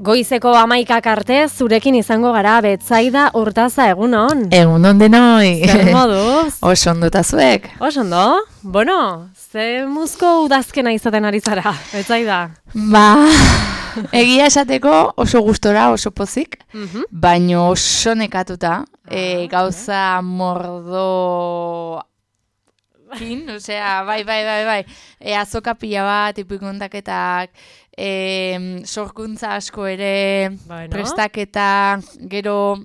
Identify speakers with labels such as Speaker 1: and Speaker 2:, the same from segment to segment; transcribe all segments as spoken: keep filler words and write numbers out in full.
Speaker 1: Goizeko amaikak arte zurekin izango gara Betsaida Urtaza, egunon.
Speaker 2: Egunon denoi.
Speaker 1: Zer moduz?
Speaker 2: Oso ondo eta zuek.
Speaker 1: Oso ondo? Bueno, ze muzko udazkena izaten ari zara, Betsaida?
Speaker 2: Ba, egia esateko oso gustora, oso pozik,
Speaker 1: Mhm.
Speaker 2: baino oso nekatuta,
Speaker 1: Ah,
Speaker 2: e, gauza mordo... Kin, osea, bai, bai, bai, bai. E, azoka pila bat, ipuikontaketak, e, sorkuntza asko ere,
Speaker 1: Bueno.
Speaker 2: prestaketa, gero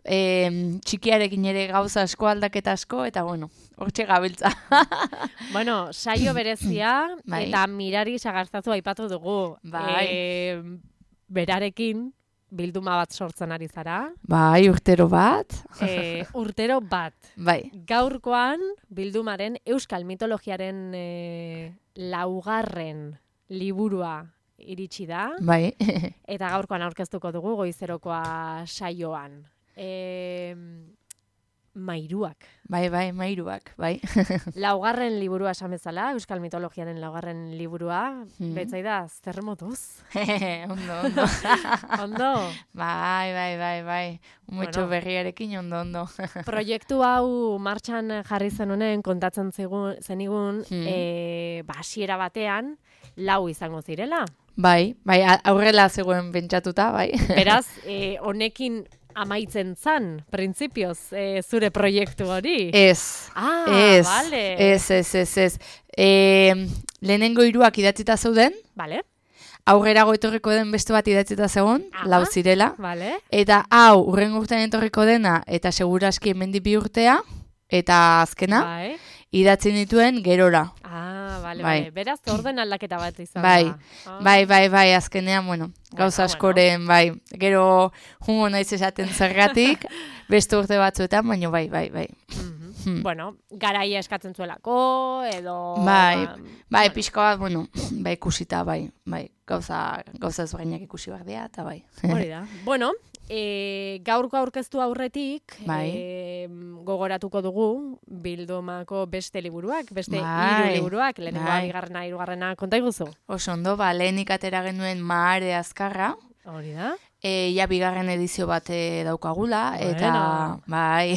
Speaker 2: e, txikiarekin ere gauza asko, aldaketa asko, eta bueno, hortxe gabiltza.
Speaker 1: Bueno, saio berezia
Speaker 2: Bai.
Speaker 1: eta Mirari Sagartzazu aipatu dugu.
Speaker 2: Bai.
Speaker 1: E, berarekin bilduma bat sortzen ari zara.
Speaker 2: Bai, urtero bat.
Speaker 1: E, urtero bat.
Speaker 2: Bai.
Speaker 1: Gaurkoan bildumaren euskal mitologiaren e, laugarren liburua iritsi da.
Speaker 2: Bai.
Speaker 1: Eta gaurkoan aurkeztuko dugu goizerokoa saioan. E, mairuak.
Speaker 2: Bai, bai, mairuak, bai.
Speaker 1: Laugarren liburua esan bezala, euskal mitologiaren laugarren liburua.
Speaker 2: Hmm.
Speaker 1: Betsaida, zer moduz?
Speaker 2: ondo, ondo.
Speaker 1: Ondo?
Speaker 2: bai, bai, bai, bai. Mucho
Speaker 1: Bueno.
Speaker 2: berriarekin ondo, ondo.
Speaker 1: Proiektu hau martxan jarri zen honen kontatzen zigun, zenigun,
Speaker 2: Hmm.
Speaker 1: e, ba, hasiera batean, lau izango zirela.
Speaker 2: bai, bai, a- aurrela zegoen pentsatuta, bai.
Speaker 1: Beraz, e, honekin amaitzen zan, printzipioz, e, zure proiektu hori.
Speaker 2: Ez.
Speaker 1: Ah,
Speaker 2: Ez,
Speaker 1: vale.
Speaker 2: ez, ez, ez, ez. E, lehenengo hiruak idatzita zeuden,
Speaker 1: Vale,
Speaker 2: aurrerago etorriko den beste bat idatzita zegoen,
Speaker 1: Aha.
Speaker 2: lau zirela.
Speaker 1: vale.
Speaker 2: Eta hau, urrengo urtean etorriko dena, eta seguraski hemendik bi urtea, eta azkena,
Speaker 1: Bai.
Speaker 2: idatzen dituen gerora.
Speaker 1: Ah, vale,
Speaker 2: Bai.
Speaker 1: vale. Beraz, orden aldaketa bat izan
Speaker 2: Bai,
Speaker 1: da. Ah.
Speaker 2: Bai, bai, bai, azkenean, bueno, gauza
Speaker 1: Bueno,
Speaker 2: askoren, bai, gero jungo naiz esaten zergatik, beste urte batzuetan, baina bai, bai, bai.
Speaker 1: Mhm.
Speaker 2: Hmm.
Speaker 1: Bueno, garaia eskatzen zuelako, edo...
Speaker 2: Bai,
Speaker 1: ba,
Speaker 2: Bai, pixka bat, bueno, bai, ikusita, bai, bai, gauza, gauza ezberdinak ikusi behar dira, eta bai.
Speaker 1: hori da. Bueno, e, gaurko aurkeztu aurretik,
Speaker 2: Bai.
Speaker 1: e, gogoratuko dugu bildumako beste liburuak, beste
Speaker 2: Bai,
Speaker 1: hiru liburuak, lehenengoa,
Speaker 2: bai.
Speaker 1: bigarrena, hirugarrena, konta iguzu.
Speaker 2: Oso ondo, ba, lehenik atera genuen Mahare Azkarra,
Speaker 1: Hori da.
Speaker 2: e, ja bigarren edizio bat e, daukagula, eta
Speaker 1: Bueno.
Speaker 2: bai,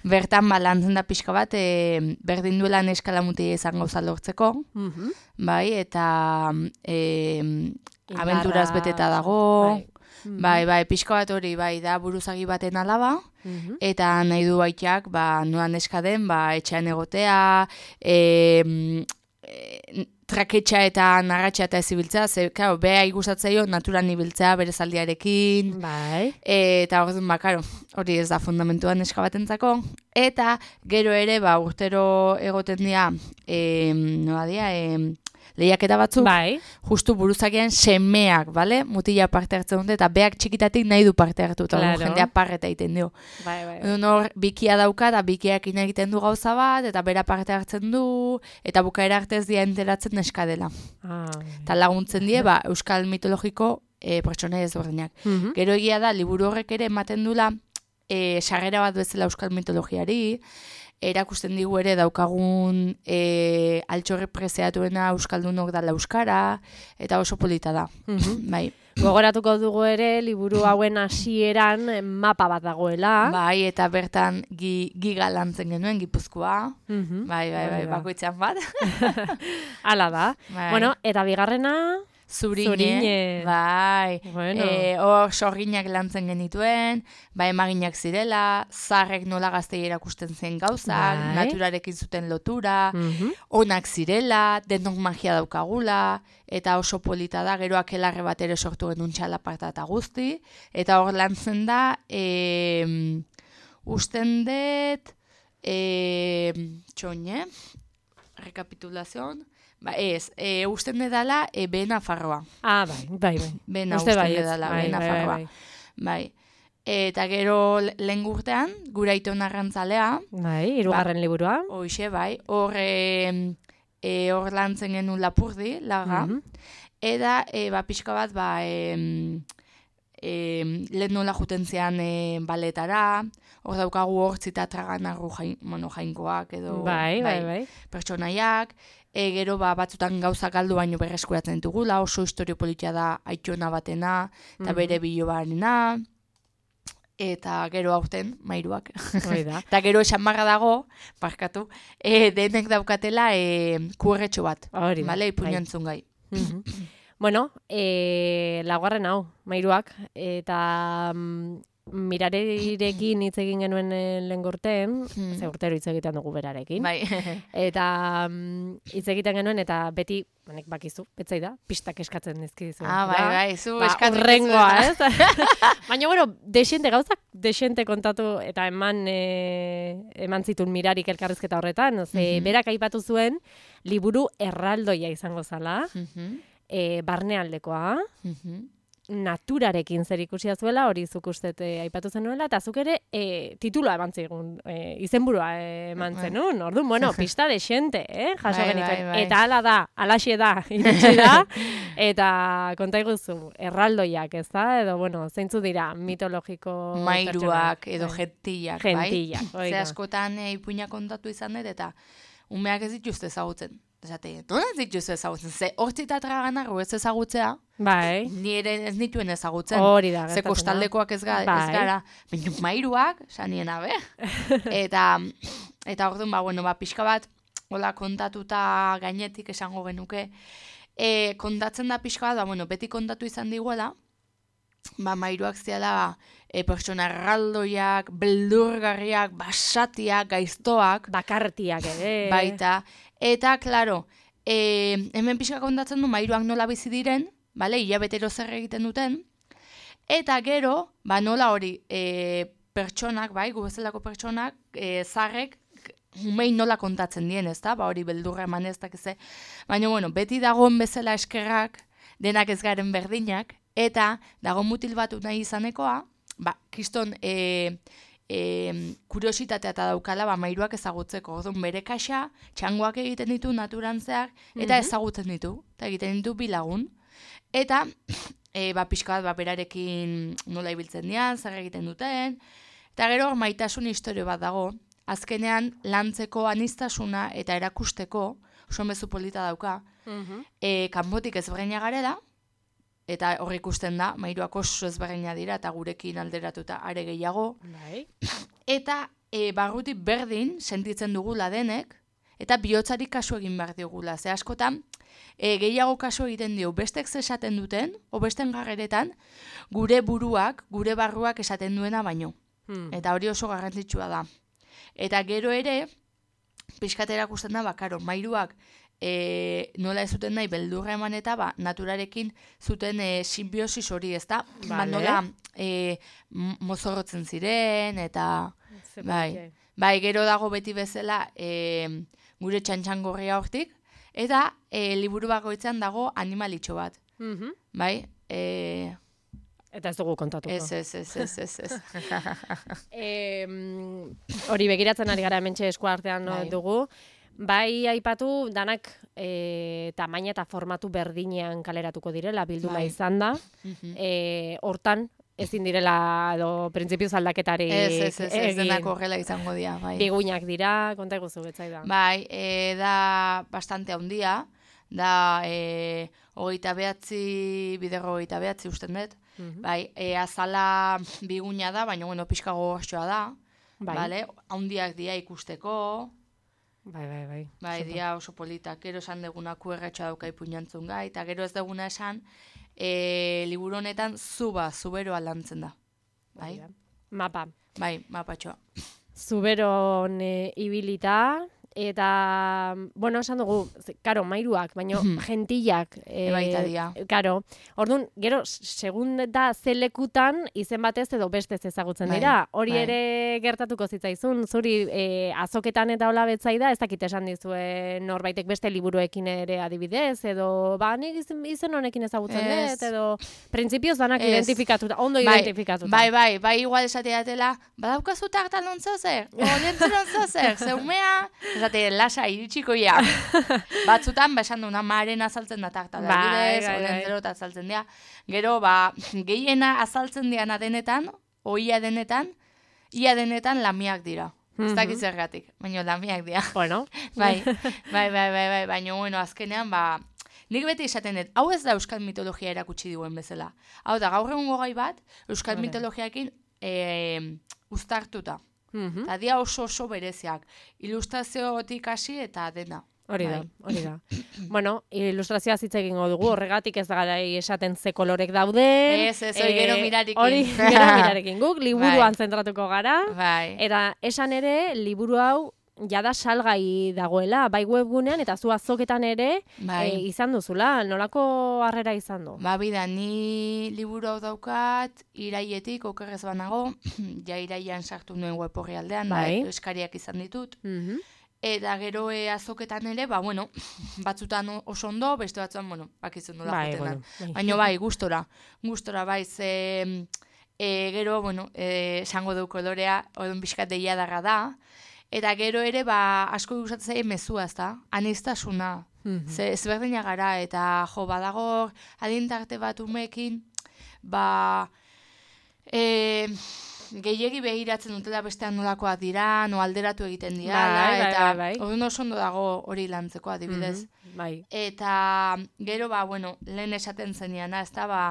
Speaker 2: bertan ba, lantzen da pixka bat, e, berdin duela neskala mutia izan gauza lortzeko,
Speaker 1: Mhm.
Speaker 2: bai, eta e,
Speaker 1: Indarra,
Speaker 2: abenturaz beteta dago,
Speaker 1: bai. Mhm.
Speaker 2: bai, bai, pixka bat hori, bai, da buruzagi baten alaba,
Speaker 1: Mhm.
Speaker 2: eta nahi du baitxak, ba, noan neska den, ba, etxean egotea, e, e, traketxa eta narratxa eta ez ibiltzea, ze, claro, beha igustatzaio naturan ibiltzea bere zaldiarekin,
Speaker 1: Bai.
Speaker 2: eta orduan, ba, karo, hori ez da fundamentua neska batentzako, eta gero ere, ba, urtero egoten dira, e, noa dira, e, lehiaketa batzuk,
Speaker 1: Bai.
Speaker 2: justu buruzakian semeak, bale? Mutila parte hartzen dute, eta beak txikitatik nahi du parte hartu, eta
Speaker 1: Claro.
Speaker 2: jendea parreta egiten dio.
Speaker 1: Bai, bai.
Speaker 2: Edo hor, bikia dauka, eta bikiakin egiten du gauza bat, eta bera parte hartzen du, eta bukaera arte ez dira enteratzen neska dela.
Speaker 1: Ah.
Speaker 2: Eta laguntzen die, ba, euskal mitologiko e, pertsonai ezberdinak.
Speaker 1: Mhm.
Speaker 2: Gero egia da, liburu horrek ere ematen dula, e, sarrera bat bezala euskal mitologiari, erakusten digu ere daukagun e, altxorre preziatuena euskaldunok dala euskara, eta oso polita da.
Speaker 1: Mhm.
Speaker 2: Bai.
Speaker 1: Gogoratuko dugu ere, liburu hauen hasieran eh, mapa bat dagoela.
Speaker 2: Bai, eta bertan gi, giga lantzen genuen, Gipuzkoa.
Speaker 1: Mhm.
Speaker 2: Bai, bai, bai,
Speaker 1: Hori da.
Speaker 2: bakoitzean bat.
Speaker 1: Hala da.
Speaker 2: Bai.
Speaker 1: Bueno, eta bigarrena...
Speaker 2: Zurine,
Speaker 1: Zurine.
Speaker 2: bai,
Speaker 1: Bueno.
Speaker 2: e, hor sorginak lantzen genituen, bai emaginak zirela, zarrek nola gaztei erakusten zen gauzak,
Speaker 1: Bai.
Speaker 2: naturarekin zuten lotura,
Speaker 1: Mhm.
Speaker 2: onak zirela, denok magia daukagula, eta oso polita da, gero akelarre bat ere sortu genuen txalaparta eta guzti, eta hor lantzen da, e, usten dut, e, txoine, rekapitulazion, ba ez, e, usten dela e, Behe Nafarroa.
Speaker 1: Ah, bai, bai, bai.
Speaker 2: Bena
Speaker 1: Uste
Speaker 2: usten
Speaker 1: baietz,
Speaker 2: dela,
Speaker 1: bai,
Speaker 2: Behe
Speaker 1: bai,
Speaker 2: Nafarroa.
Speaker 1: bai,
Speaker 2: Bai. Eta gero le- lehen urtean, gura aiton arrantzalea,
Speaker 1: Bai, hirugarren liburua.
Speaker 2: hoxe, bai, hor e, e, hor lantzen genuen Lapurdi, laga,
Speaker 1: Mhm.
Speaker 2: eta e, ba, pixka bat, ba, e, e, lehen nola juten zean e, baletara, hor daukagu hortzi eta traganarru jain, bueno, jainkoak edo
Speaker 1: bai, bai, bai.
Speaker 2: pertsonaiak, e, gero ba, batzutan gauzak galdu baino berreskuratzen ditugula, oso historio politia da aitona batena, eta
Speaker 1: Mhm.
Speaker 2: bere bilobarena, eta gero aurten, mairuak.
Speaker 1: Hoi da.
Speaker 2: Eta gero esan marra dago, barkatu, e, denek daukatela e, kuerretxo bat,
Speaker 1: Hori da.
Speaker 2: bale,
Speaker 1: bai.
Speaker 2: ipuñantzun gai.
Speaker 1: Mhm. Bueno, e, laugarren hau, mairuak, eta mm, mirarekin hitz egin genuen eh, lehen gorteen,
Speaker 2: Hmm.
Speaker 1: ze urtero hitz egiten dugu berarekin.
Speaker 2: Bai.
Speaker 1: Eta mm, hitz egiten genuen, eta beti, honek bakizu, betzai da, pistak eskatzen dizkizu.
Speaker 2: Ah, bai, bai, zu
Speaker 1: Ba,
Speaker 2: eskatu
Speaker 1: urrengoa,
Speaker 2: dizuet.
Speaker 1: ez? Baina, bueno, desente gauzak, desente kontatu eta eman e, eman zituen mirarik elkarrizketa horretan, ze
Speaker 2: Mhm.
Speaker 1: berak aipatu zuen, liburu erraldoia izango zala,
Speaker 2: Mhm,
Speaker 1: e, barnealdekoa,
Speaker 2: mhm.
Speaker 1: naturarekin zer ikusia zuela, hori zuk ustet e, aipatu zenuela, eta zuk ere e, titulua eman zigun, e, izenburua e, eman zenun, orduan, bueno, pista desente, eh, jaso
Speaker 2: Bai,
Speaker 1: genituen.
Speaker 2: bai, bai.
Speaker 1: Eta hala da, alaxe da, iritsi da, eta konta iguzu, erraldoiak, ez da, edo, bueno, zeintzu dira, mitologiko
Speaker 2: Mairuak
Speaker 1: pertsonak.
Speaker 2: edo
Speaker 1: Bai.
Speaker 2: gentillak, bai?
Speaker 1: Gentillak, hori
Speaker 2: Ze
Speaker 1: da.
Speaker 2: askotan e, ipuina kontatu izan dut, eta umeak ez dituzte ezagutzen. Esate, nola ez dituzte ezagutzen? Ze hortzi eta traganarru ez ezagutzea,
Speaker 1: Bai,
Speaker 2: ni ere ez nituen ezagutzen.
Speaker 1: hori da.
Speaker 2: Ze
Speaker 1: gertatzen da.
Speaker 2: kostaldekoak ez, ga, ez
Speaker 1: Bai.
Speaker 2: gara, baina mairuak, saniena, be? eta, eta orduan, ba, bueno, ba, pixka bat, hola kontatuta gainetik esango genuke, e, kontatzen da pixka bat, ba, bueno, beti kontatu izan diguela, ba, mairuak ziala, e, pertsona erraldoiak, beldurgarriak, basatiak, gaiztoak,
Speaker 1: Bakartiak ere.
Speaker 2: baita, eta, klaro, e, hemen pixka kontatzen du mairuak nola bizi diren, bale, hilabetero zer egiten duten, eta gero, ba, nola hori, e, pertsonak, bai, gu bezalako pertsonak, e, zarrek, umei nola kontatzen dien, ez da, ba, hori beldurra eman ez dakize, baina, bueno, beti dagoen bezala eskerrak, denak ez garen berdinak, eta dago mutil batu nahi izanekoa, ba, kriston, e, e, kuriositatea eta daukala, ba, mairuak ezagutzeko, orduan bere kaxa, txangoak egiten ditu naturantzeak, eta
Speaker 1: Mhm.
Speaker 2: ezagutzen ditu, eta egiten ditu bilagun. Eta, e, ba, pixka bat, ba, berarekin nola ibiltzen dian, zer egiten duten, eta gero hor maitasun historio bat dago, azkenean lantzeko anistasuna eta erakusteko, oso mezu polita dauka,
Speaker 1: Mhm.
Speaker 2: e, kanpotik ezberdina garela, eta hor ikusten da, mairuak oso ezberdina dira, eta gurekin alderatuta are gehiago,
Speaker 1: Bai.
Speaker 2: eta e, barrutik berdin sentitzen dugula denek, eta bihotzari kasu egin behar diogula. Ze askotan, e, gehiago kasu egiten dio, bestek esaten duten, o besten garreretan, gure buruak, gure barruak esaten duena baino.
Speaker 1: Hmm.
Speaker 2: Eta hori oso garrantzitsua da. Eta gero ere, pixkat erakusten da, ba, karo, mairuak e, nola ez zuten nahi beldurra eman eta ba, naturarekin zuten e, simbiosis hori, ez da? Ba,
Speaker 1: Vale.
Speaker 2: nola e, m- mozorrotzen ziren, eta
Speaker 1: Ze
Speaker 2: bai.
Speaker 1: polite.
Speaker 2: bai, gero dago beti bezala e, gure txantxangorria hortik, eta e, liburu bakoitzean dago animalitxo bat,
Speaker 1: Mhm.
Speaker 2: bai? E,
Speaker 1: Eta ez dugu kontatuko.
Speaker 2: ez, ez, ez, ez, ez, ez.
Speaker 1: Em, hori begiratzen ari gara hementxe eskuartean
Speaker 2: Bai.
Speaker 1: dugu. Bai aipatu danak e, tamaina eta formatu berdinean kaleratuko direla, bilduma
Speaker 2: Bai.
Speaker 1: izan da.
Speaker 2: Mhm.
Speaker 1: E, hortan ezin direla edo printzipioz aldaketari
Speaker 2: Ez, ez, ez, ez
Speaker 1: egin.
Speaker 2: denak horrela izango dira, bai.
Speaker 1: Biguinak dira, konta iguzu betzai da.
Speaker 2: Bai, e, da bastante handia, da e, hogeita behatzi, biderro hogeita behatzi usten dut.
Speaker 1: Mhm.
Speaker 2: Bai, e, azala biguina da, baina bueno, pixka gogortxoa da,
Speaker 1: Bai.
Speaker 2: bale? Handiak dia ikusteko,
Speaker 1: Bai, bai, bai.
Speaker 2: bai,
Speaker 1: Super.
Speaker 2: dia oso politak, gero esan deguna kuerretxa dauka ipuñantzun gai, eta gero ez deguna esan, e, liburu honetan zuba, zuberoa lantzen da. Bai,
Speaker 1: Mapa.
Speaker 2: bai, mapatxoa.
Speaker 1: Zuberon e, ibilita, eta, bueno, esan dugu, ze- karo, mairuak, baino
Speaker 2: Mhm.
Speaker 1: gentillak. E,
Speaker 2: Baita dira.
Speaker 1: Karo, orduan, gero, segun da zelekutan, izen batez edo bestez ezagutzen
Speaker 2: Bai,
Speaker 1: dira. Hori
Speaker 2: bai.
Speaker 1: ere gertatuko zitzaizun, zuri e, azoketan eta hola betzai da, ez dakit esan dizue norbaitek beste liburuekin ere adibidez, edo, ba, nik izen, izen honekin ezagutzen
Speaker 2: Ez.
Speaker 1: dut, edo, printzipioz danak
Speaker 2: Ez.
Speaker 1: identifikatuta, ondo
Speaker 2: Bai,
Speaker 1: identifikatuta.
Speaker 2: Bai, bai, bai, igual esatea dela, badaukazu tartan ontzo zer, orientzeron zer, zeumea, esate, lasa iritsiko ja. Batzutan, ba, esan duna, maren azaltzen da tartala,
Speaker 1: Bai,
Speaker 2: bidez,
Speaker 1: bai, bai.
Speaker 2: orientzero eta azaltzen dira. Gero, ba, gehiena azaltzen diana denetan, oia denetan, ia denetan lamiak dira. Ez dakit zergatik, baina lamiak dira.
Speaker 1: Bueno.
Speaker 2: bai, bai, bai, bai, bai, baina, bueno, azkenean, ba, nik beti esaten dut, hau ez da euskal mitologia erakutsi duen bezala. Hau da, gaur egun gai bat, euskal vale. mitologiakin e, uztartuta. Mm-hmm. Eta dia oso oso bereziak. Ilustraziotik hasi eta dena.
Speaker 1: Hori da, hori da. Bueno, ilustrazioa hitz egingo dugu, horregatik ez da garai esaten ze kolorek dauden.
Speaker 2: Ez, ez, hori gero mirarekin.
Speaker 1: Hori gero mirarekin guk, liburuan bai. zentratuko gara.
Speaker 2: Bai.
Speaker 1: Eta esan ere, liburu hau jada salgai dagoela, bai webgunean, eta zu azoketan ere bai. e, izan duzula, nolako harrera izan du?
Speaker 2: Ba, bida, ni liburu hau daukat, iraietik, okerrez banago, ja iraian sartu nuen web horri aldean, bai. bai, eskariak izan ditut. Mhm. Eta gero e, azoketan ere, ba, bueno, batzutan oso ondo, beste batzutan, bueno, bakizun nola bai, joten bueno, baina bai, gustora, gustora bai, ze e, gero, bueno, esango du kolorea, odun pixkat deia darra da, eta gero ere, ba, asko gustatzen zaie mezua, ezta, anistasuna, mm-hmm. ze ezberdina gara, eta jo, badago, adintarte bat umekin, ba, e, gehiegi behiratzen dutela bestean nolakoak dira, no alderatu egiten dira,
Speaker 1: bai,
Speaker 2: eta
Speaker 1: bai, bai.
Speaker 2: orduan oso ondo dago hori lantzeko adibidez.
Speaker 1: Mm-hmm, bai.
Speaker 2: Eta gero, ba, bueno, lehen esaten zeniana, ez da, ba,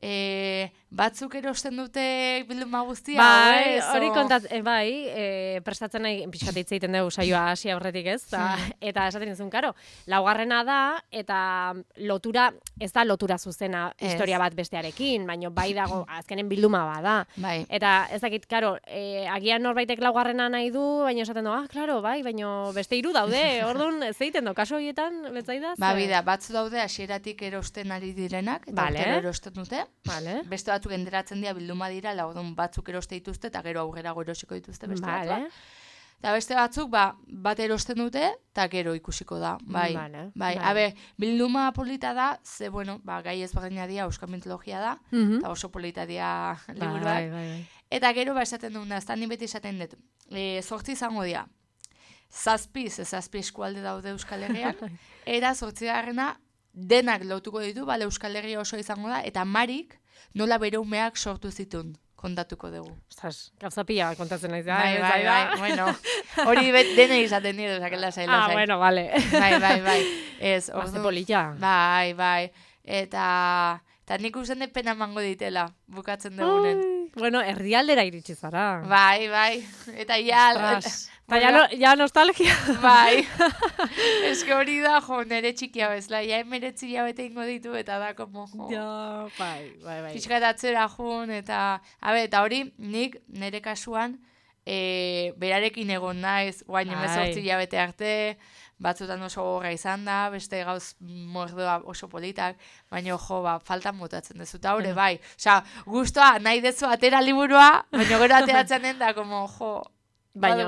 Speaker 2: e, batzuk erosten dute bilduma guztia.
Speaker 1: Bai, hori o... kontat, e, bai, e, prestatzen nahi, pixkat hitz egiten dugu saioa hasi aurretik ez, ta, eta esaten dizun, karo, laugarrena da, eta lotura, ez da lotura zuzena ez. Historia bat bestearekin, baina bai dago, azkenen bilduma bada.
Speaker 2: Bai.
Speaker 1: Eta ez dakit, karo, e, agian norbaitek laugarrena nahi du, baina esaten du, ah, klaro, bai, baina beste hiru daude, orduan, ez egiten du, kaso horietan, betzaidaz?
Speaker 2: Ba, bida, batzu daude hasieratik erosten ari direnak, eta vale. erosten dute.
Speaker 1: Vale.
Speaker 2: Beste batzuk enteratzen dira bilduma dira, laudun batzuk eroste dituzte, eta gero aurrera erosiko dituzte beste vale. batzuk. Eta beste batzuk, ba, bat erosten dute, eta gero ikusiko da. Bai,
Speaker 1: vale.
Speaker 2: bai.
Speaker 1: Vale.
Speaker 2: Habe, bilduma polita da, ze, bueno, ba, gai ezberdina dira, euskal mitologia da, eta mm-hmm. oso polita dira liburuak.
Speaker 1: Bai, bai, bai.
Speaker 2: Eta gero, ba, esaten duguna, ez da, ni beti esaten dut, e, zortzi izango dira. Zazpi, ze zazpi eskualde daude Euskal Herrian, eta zortzi garrena, denak lotuko ditu, bale Euskal Herria oso izango da, eta Marik nola bere umeak sortu zitun, kontatuko dugu.
Speaker 1: Ostras, gauza pila kontatzen naiz.
Speaker 2: Bai, bai, bai, bueno, hori dene izaten dira, zakela zaila
Speaker 1: zaila. Ah, bueno, vale.
Speaker 2: Bai, bai, bai. Ez,
Speaker 1: ordu. Polilla.
Speaker 2: Bai, bai. Eta, eta nik usen de pena mango ditela, bukatzen dugunen.
Speaker 1: Bueno, herrialdera iritsi zara.
Speaker 2: Bai, bai. Eta ja...
Speaker 1: Eta ja, no, ja nostalgia.
Speaker 2: Bai. Ez que hori da, jo, nere txikia bezala. Ja emeretzi jabete ingo ditu, eta da, como, jo.
Speaker 1: Ja, bai, bai, bai.
Speaker 2: Piskat atzera jun, eta... Habe, eta hori, nik nere kasuan, e, berarekin egon naiz, guain emezortzi jabete arte, batzutan oso gorra izan da, beste gauz mordoa oso politak, baina jo, ba, faltan botatzen dezu, eta hori, bai. Osa, guztua, nahi dezu atera liburua, baina gero ateratzen den da, como, jo... Baina,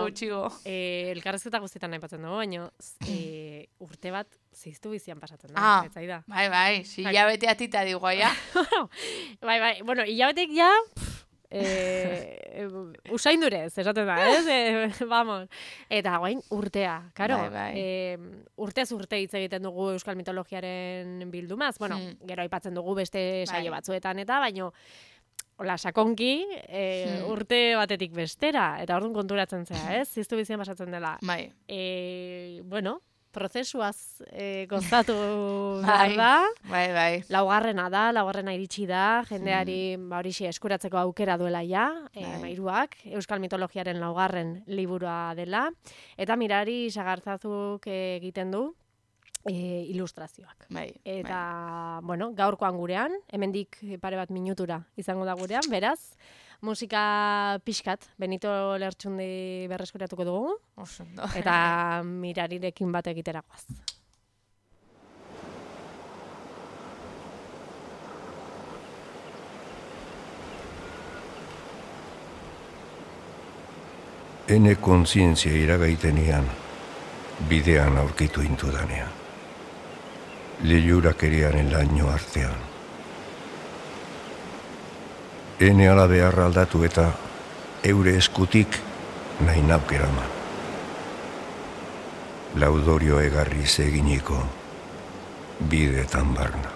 Speaker 1: eh, elkarrezketa guztietan nahi patzen dugu, baina eh, urte bat ziztu bizian pasatzen da.
Speaker 2: Ah, bai, bai, si hilabete atita digu, ja.
Speaker 1: Bai, bai, bueno, hilabetek ja, eh, usaindurez, esaten da, ez? Eh, vamos. Eta guain, urtea, karo.
Speaker 2: Bai, bai.
Speaker 1: Eh, urtez urte hitz egiten dugu euskal mitologiaren bildumaz, bueno, hmm. gero aipatzen dugu beste saio bai. batzuetan eta, baino, hola, sakonki, e, hmm. urte batetik bestera, eta orduan konturatzen zea, ez? Ziztu bizian pasatzen dela.
Speaker 2: Bai.
Speaker 1: E, bueno, prozesuaz e, gozatu behar da.
Speaker 2: Bai, bai.
Speaker 1: Laugarrena da, laugarrena iritsi da, jendeari hmm. ba, horixe eskuratzeko aukera duela ja, e, bai. mairuak, euskal mitologiaren laugarren liburua dela, eta mirari sagartzazuk egiten du, E, ilustrazioak.
Speaker 2: Bai,
Speaker 1: eta, bai. bueno, gaurkoan gurean, hemendik pare bat minutura izango da gurean, beraz, musika pixkat, Benito Lertxundi berreskuratuko dugu,
Speaker 2: Osondo.
Speaker 1: eta mirarirekin bat egiteragoaz.
Speaker 3: Ene kontzientzia iragaitenean, bidean aurkitu intudanean. Lehiurakeriaren laino artean. Ene ala beharra aldatu eta eure eskutik nahi nauk eraman. Laudorio egarri eginiko bideetan barna.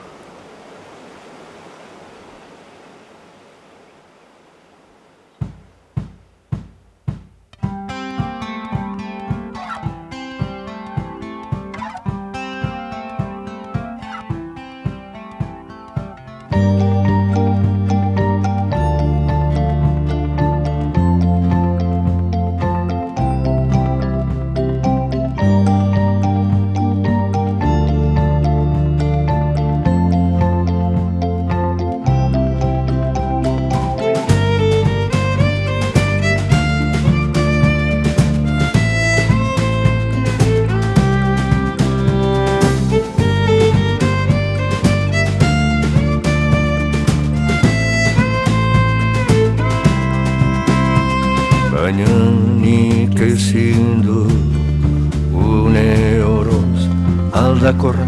Speaker 3: aldakorra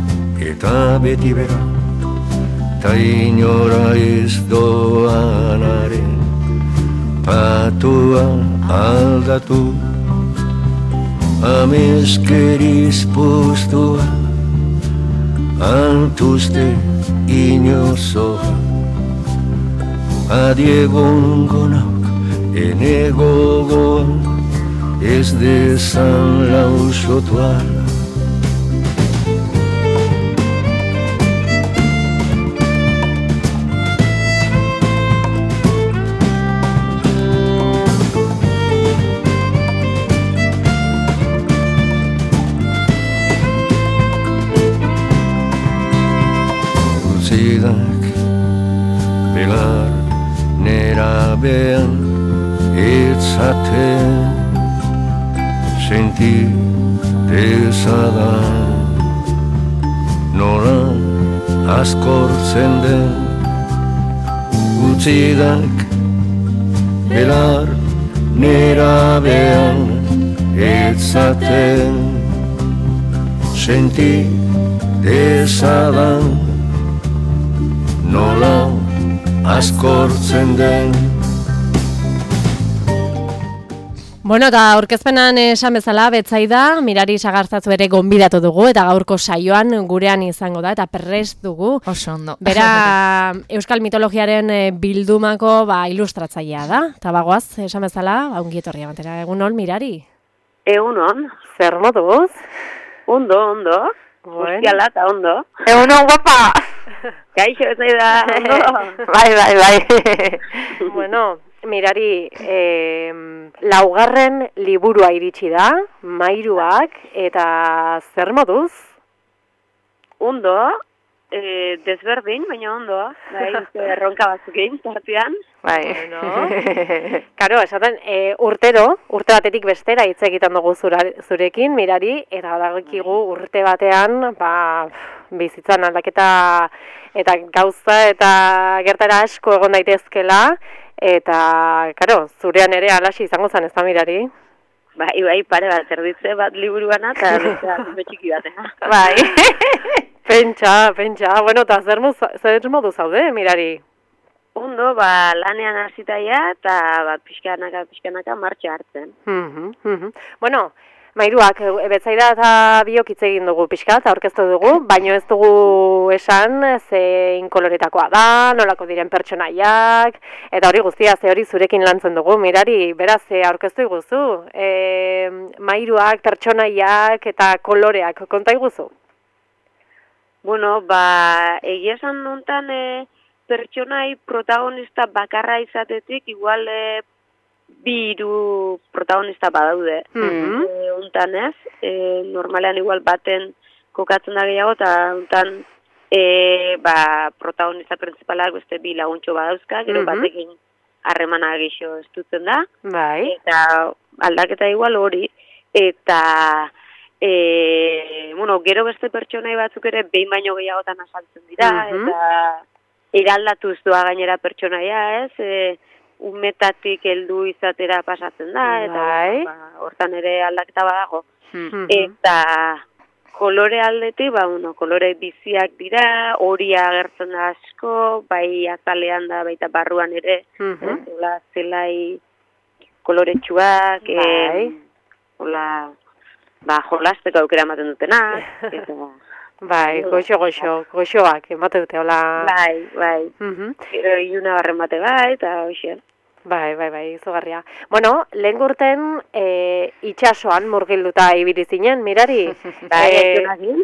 Speaker 3: eta beti bera, ta inora ez doanaren patua aldatu, ameskeriz postua altuzte inozoa, adiegongo nauk ene gogoa ez dezan lausotuala. Utzidak belar nerabean etzaten senti dezadan, nola askortzen den. Utzidak belar nerabean etzaten senti dezadan, nola askortzen den.
Speaker 1: Bueno, eta aurkezpenan esan bezala, Betsaida, Mirari Sagartzatzu ere gonbidatu dugu, eta gaurko saioan gurean izango da, eta prest dugu.
Speaker 2: Oso ondo.
Speaker 1: Bera, euskal mitologiaren bildumako ba, ilustratzailea da. Eta bagoaz, esan bezala, ba, ongietorria batera. Egunon, Mirari?
Speaker 4: Egunon.
Speaker 1: Zer moduz?
Speaker 4: Ondo, ondo.
Speaker 1: Bueno.
Speaker 4: Guztiala eta ondo.
Speaker 2: Egunon, guapa!
Speaker 4: Kaixo, Betsaida, ondo.
Speaker 2: Bai, bai, bai.
Speaker 1: Bueno, Mirari, eh, laugarren liburua iritsi da, Mairuak, eta zer moduz?
Speaker 4: Ondo, eh, desberdin, baina ondo. Bai, erronka batzuk egin, tartean.
Speaker 2: Bai.
Speaker 1: Bueno. Karo, esaten, e, urtero, urte batetik bestera hitz egiten dugu zura, zurekin, Mirari, eta dagokigu urte batean, ba, bizitzan aldaketa eta gauza eta gertara asko egon daitezkela, eta, karo, zurean ere alaxi izango zen, ez da, Mirari?
Speaker 4: Bai, bai, pare bat, erditze bat liburuana, eta bestea txiki batena.
Speaker 1: Bai. Pentsa, pentsa. Bueno, eta zer, zer modu zaude, Mirari?
Speaker 4: Ondo, ba, lanean hasitaia eta bat pixkanaka, pixkanaka martxa hartzen.
Speaker 1: Mhm, mhm. Bueno, Mairuak, Betsaida eta biok hitz egin dugu pixkat, aurkeztu dugu, baino ez dugu esan zein koloretakoa da, nolako diren pertsonaiak, eta hori guztia, ze hori zurekin lantzen dugu, Mirari, beraz, aurkeztu iguzu, e, Mairuak, pertsonaiak eta koloreak, konta iguzu?
Speaker 4: Bueno, ba, egia esan nontan e, pertsonai protagonista bakarra izatetik, igual e, bi hiru protagonista badaude.
Speaker 1: Mhm.
Speaker 4: E, untan ez, e, normalean igual baten kokatzen da gehiago, eta untan e, ba, protagonista principalak beste bi laguntxo badauzka, gero
Speaker 1: Mhm.
Speaker 4: batekin harremana geixo estutzen da.
Speaker 1: Bai.
Speaker 4: Eta aldaketa igual hori, eta e, bueno, gero beste pertsonai batzuk ere behin baino gehiagotan azaltzen dira,
Speaker 1: Mhm.
Speaker 4: eta eraldatuz doa gainera pertsonaia, ez? E, umetatik heldu izatera pasatzen da, eta
Speaker 1: Bai.
Speaker 4: ba, hortan ere aldaketa badago.
Speaker 1: Mhm.
Speaker 4: Eta kolore aldetik, ba, bueno, kolore biziak dira, horia agertzen da asko, bai azalean da, baita barruan ere,
Speaker 1: Mhm.
Speaker 4: ez, hola, zelai koloretsuak,
Speaker 1: Bai.
Speaker 4: eh, hola, ba, jolasteko aukera ematen dutenak, eta...
Speaker 1: Bai, goxo, goxo, goxoak, emate dute, hola.
Speaker 4: Bai, bai.
Speaker 1: Mhm.
Speaker 4: Gero iluna barren bate bai, eta hoxe.
Speaker 1: Bai, bai, bai, izugarria. Bueno, lehen urten e, itxasoan murgilduta ibili zinen, Mirari.
Speaker 4: Bai,
Speaker 1: Eh,
Speaker 4: etxonakin.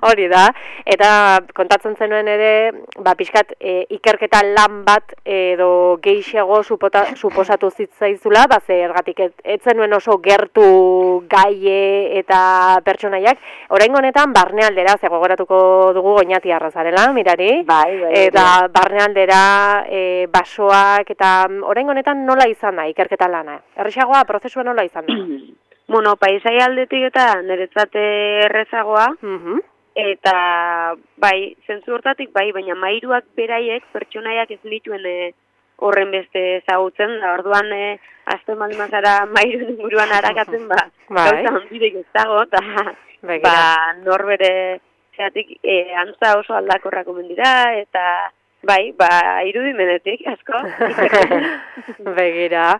Speaker 1: hori da, eta kontatzen zenuen ere, ba, pixkat, e, ikerketa lan bat edo geixiago supota, suposatu zitzaizula, ba, zergatik ez, ez zenuen oso gertu gaie eta pertsonaiak. Orain honetan, barnealdera, ze gogoratuko dugu Goñati arrazarela, Mirari.
Speaker 4: Bai, bai.
Speaker 1: Eta barnealdera, e, basoak, eta orain honetan nola izan da ikerketa lana? Errexagoa, prozesua nola izan da?
Speaker 4: Bueno, paisai aldetik eta niretzat errezagoa,
Speaker 1: Mhm.
Speaker 4: eta bai, zentzu hortatik bai, baina Mairuak beraiek pertsonaiak ez nituen e, horren beste ezagutzen, da orduan e, azte malimazara mairun inguruan harakatzen, ba, gauza handirik ez dago, eta ba, norbere zeatik e, antza oso aldakorrak omen dira, eta bai, ba, irudimenetik, asko.
Speaker 1: Begira.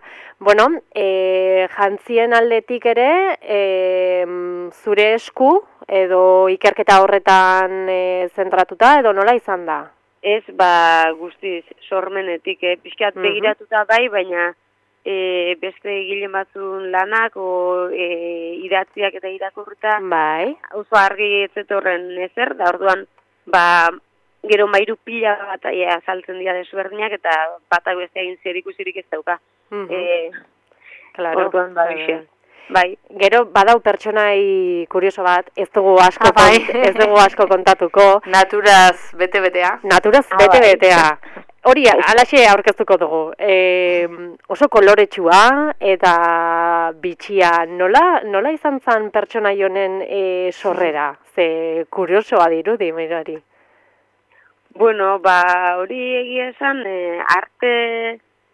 Speaker 1: Bueno, e, jantzien aldetik ere, e, zure esku, edo ikerketa horretan e, zentratuta, edo nola izan da?
Speaker 4: Ez, ba, guztiz, sormenetik, eh? Pixkat uh-huh. begiratuta bai, baina e, beste egilen batzun lanak, o e, idatziak eta irakurruta,
Speaker 1: bai.
Speaker 4: Oso argi etzetorren ezer, da orduan, ba, gero mairu pila bat ja, saltzen dira desberdinak, eta batak beste egin zer ikusirik ez dauka.
Speaker 1: Uh-huh.
Speaker 4: e,
Speaker 1: claro.
Speaker 4: Orduan, ba, bixe. Bai.
Speaker 1: Gero badau pertsonai kurioso bat, ez dugu asko
Speaker 2: ah, bai.
Speaker 1: kont, ez dugu asko kontatuko.
Speaker 2: Naturaz bete-betea.
Speaker 1: Naturaz
Speaker 4: ah,
Speaker 1: bete-betea. Hori, alaxe aurkeztuko dugu. E, oso koloretsua eta bitxia, nola, nola izan zen pertsonai honen e, sorrera? Ze kuriosoa dirudi, mirari.
Speaker 4: Bueno, ba, hori egia esan, e, arte...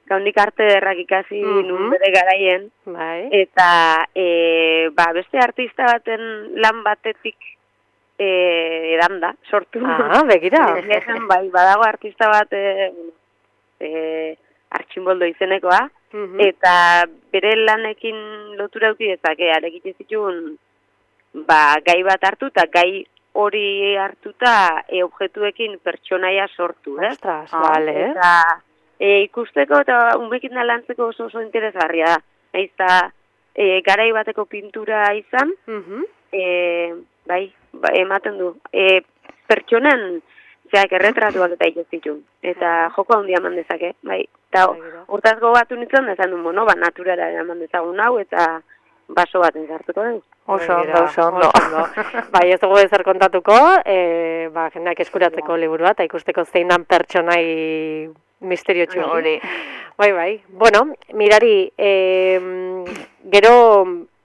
Speaker 4: Gaundik arte derrak ikasi uh-huh. nun bere garaien,
Speaker 1: bai.
Speaker 4: Eta e, ba, beste artista baten lan batetik e, edan da, sortu.
Speaker 1: Ah, begira.
Speaker 4: Ezen, bai, badago artista bat e, e, Artxinboldo izenekoa, uh-huh. eta bere lanekin lotura auki dezake, arekite zituen ba, gai bat hartu, eta gai hori hartuta e, objektuekin pertsonaia sortu. Eh?
Speaker 1: Ostras, ah, vale.
Speaker 4: Eta E, ikusteko eta unbekin lantzeko oso oso interesgarria da. Naiz eta e, garai bateko pintura izan,
Speaker 1: uh-huh.
Speaker 4: e, bai, ba, ematen du. E, pertsonen zeak erretratuak eta ikustitu. Eta joko handia eman dezake, bai. Eta hortaz gogatu nintzen, dezan du, bueno, ba, naturara eman dezagun hau, eta baso baten zartuko dugu.
Speaker 2: Oso ondo, oso ondo.
Speaker 1: Bai, ez dugu ezer kontatuko, e, ba, jendeak eskuratzeko liburua, eta ikusteko zein dan pertsonai misterio txu hori. Bai, bai. Bueno, mirari, e, gero